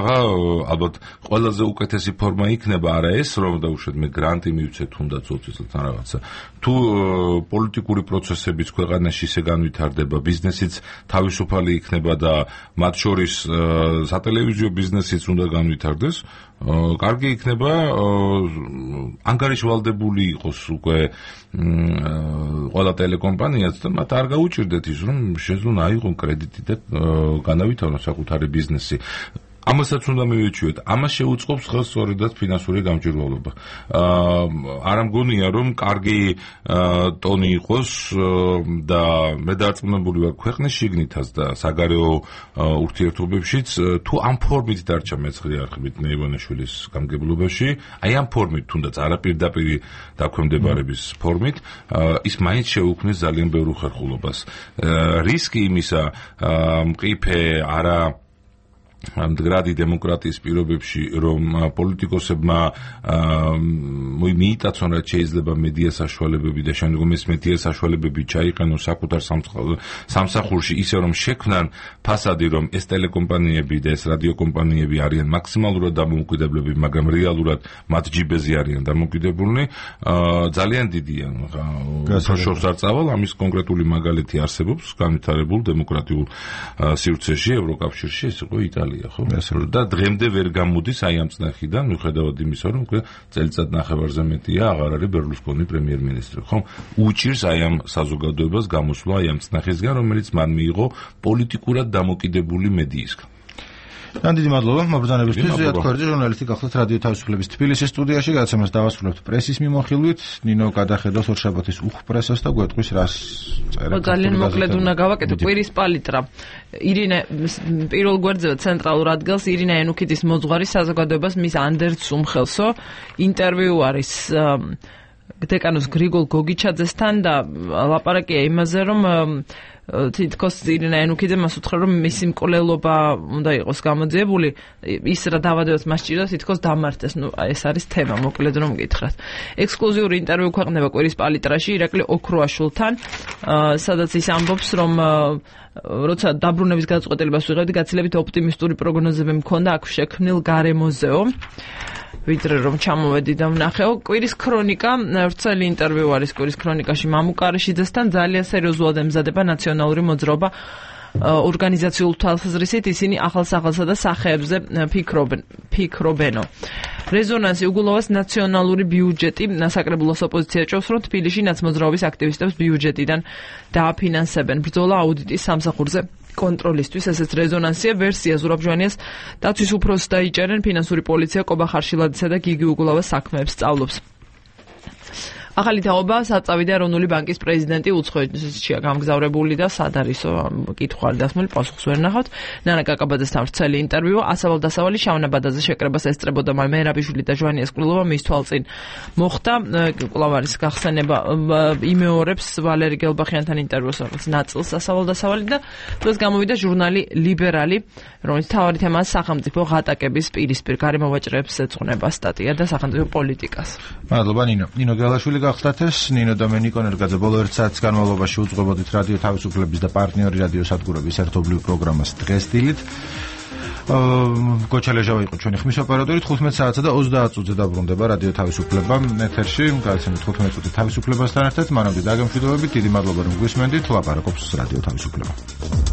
ალბათ ყველაზე უკეთესი ფორმა იქნება არა ეს, რომ დაუშვათ მე გრანტი მივცე თუნდაც 20 წელთან რაღაცა. თუ პოლიტიკური პროცესებიც ქვეყანაში ისე განვითარდება, ბიზნესიც თავისუფალი იქნება და მათ შორის სატელევიზიო ბიზნესიც უნდა განვითარდეს, კარგი იქნება ანგარიშვალდებული იყოს უკვე ყველა ტელეკომპანიაც და მათ არ გაუჭირდეთ ის, რომ შეძლონ აიღონ კრედიტი და განავითარონ საკუთარი ბიზნესი. ამასაც უნდა მივეჩვიოთ. ამას შეუწყობს ხელს სწორედად ფინანსური გამჭვირვალობა. არ ამგონია, რომ კარგი ტონი იყოს და მე დარწმუნებული ვარ ქვეყნის შიგნითაც და საგარეო ურთიერთობებშიც, თუ ამ ფორმით დარჩა მე-9 არხით მე-ივანიშვილის გამგებლობაში, აი ამ ფორმით, თუნდაც არაპირდაპირ დაქვემდებარების ფორმით, ის მაინც შეუქმნის ძალიან ბევრ უხერხულობას. რისკი იმისა, მყიფე არა მდგრადი დემოკრატიის პირობებში, რომ პოლიტიკოსებმა მიიტაცონ რაც შეიძლება მედია საშუალებები და შემდგომ ეს მედია საშუალებები ჩაიყენონ საკუთარ სამსახურში, ისე რომ შექმნან ფასადი, რომ ეს ტელეკომპანიები და ეს რადიოკომპანიები არიან მაქსიმალურად დამოუკიდებლები, მაგრამ რეალურად მათ ჯიბეზე არიან დამოუკიდებლნი, ძალიან დიდია. შორს არ წავალ, ამის კონკრეტული მაგალითი არსებობს განვითარებულ დემოკრატიულ სივრცეში, ევროკავშირში, ეს იყო იტალია. და დღემდე ვერ გამოდის აი ამ წნეხიდან, მიუხედავად იმისა, რომ წელიწად ნახევარზე მეტია აღარ არის ბერლუსკონი პრემიერ-მინისტრი, ხო? უჭირს აი ამ საზოგადოებას გამოსვლა აი ამ წნეხისგან, რომელიც მან მიიღო პოლიტიკურად დამოკიდებული მედიისგან. დიდი მადლობა მობრძანებისთვის. ზიად ქორიძე, ჟურნალისტი, გახლავთ რადიო თავისუფლების თბილისის სტუდიაში. გადაცემას დავასრულებთ პრესის მიმოხილვით. ნინო გადახედავს ორშაბათის უხპრესას და გვეტყვის რას წერა. ძალიან მოკლედ უნდა გავაკეთო კვირის პალიტრა. ირინე პირველ გვერდზე ცენტრალურ ადგილს ირინე ენუქიძის მოძღვარი საზოგადოებას მის ანდერც უმხელსო ინტერვიუ არის დეკანოს გრიგოლ გოგიჩაძესთან და ლაპარაკია იმაზე, რომ თითქოს ირინე ენუქიძე მას უთხრა, რომ მისი მკვლელობა უნდა იყოს გამოძიებული, ის რა დავადებას მას ჭირდა თითქოს დამართეს. ნუ ეს არის თემა, მოკლედ რომ გითხრათ. ექსკლუზიური ინტერვიუ ქვეყნდება კვირის პალიტრაში ირაკლი ოქროაშვილთან, სადაც ის ამბობს, რომ როცა დაბრუნების გადაწყვეტილებას ვიღებდი, გაცილებით ოპტიმისტური პროგნოზები მქონდა აქ შექმნილ გარემოზეო. ვიდრე რომ ჩამოვედი და ვნახეო. კვირის ქრონიკა, ვრცელი ინტერვიუ არის კვირის ქრონიკაში მამუკარიშიძესთან, ძალიან სერიოზულად ემზადება ნაციონალური მოძრაობა ორგანიზაციულ თვალსაზრისით, ისინი ახალ-ახალსა და სახეებზე ფიქრობენო. რეზონანსი უგულავას ნაციონალური ბიუჯეტი საკრებულოს ოპოზიცია ჭობს, რომ თბილისში ნაცმოძრაობის აქტივისტებს ბიუჯეტიდან დააფინანსებენ. ბრძოლა აუდიტის სამსახურზე კონტროლისთვის, ესეც რეზონანსია ვერსია ზურაბ ჟვანიას დაცვის უფროსს დაიჭერენ, ფინანსური პოლიცია კობა ხარშილადისა და გიგი უგულავას საქმეებს სწავლობს. ახალი თაობა საწავი და ეროვნული ბანკის პრეზიდენტი უცხოეთშია გამგზავრებული და სად არისო კითხვა დასმული პასუხს ვერ ნახავთ. ნანა კაკაბაძესთან ვრცელი ინტერვიუ ასავალ-დასავალი შავნაბადაზე შეკრებას ესწრებოდა მერაბიშვილი და ჟვანიას კვლევა მის თვალწინ მოხდა. კვლავარის გახსენება იმეორებს ვალერი გელბახიანთან ინტერვიუს რაღაც ნაწილს ასავალ-დასავალი და დღეს გამოვიდა ჟურნალი ლიბერალი, რომელიც თავარი თემაა სახელმწიფო ღატაკების პირისპირ გარემოვაჭრეებს ეძღვნება სტატია და სახელმწიფო პოლიტიკას. მადლობა ნინო გელაშვილი გახსნათ ეს ნინო და მე ნიკო ნერგაძე ბოლო 1 საათის განმავლობაში უძღვებოდით რადიო თავისუფლების და პარტნიორი რადიო სადგურების ერთობლივ პროგრამას დღეს დილით. გოჩალეჟავა იყო ჩვენი ხმის ოპერატორი. 15 საათსა და 30 წუთზე დაბრუნდება რადიო თავისუფლება ეთერში. გადაცემით 15 წუთი თავისუფლებასთან ერთად. მანამდე დაგემშვიდობებით. დიდი მადლობა რომ გვისმენდით. ლაპარაკობს რადიო თავისუფლება.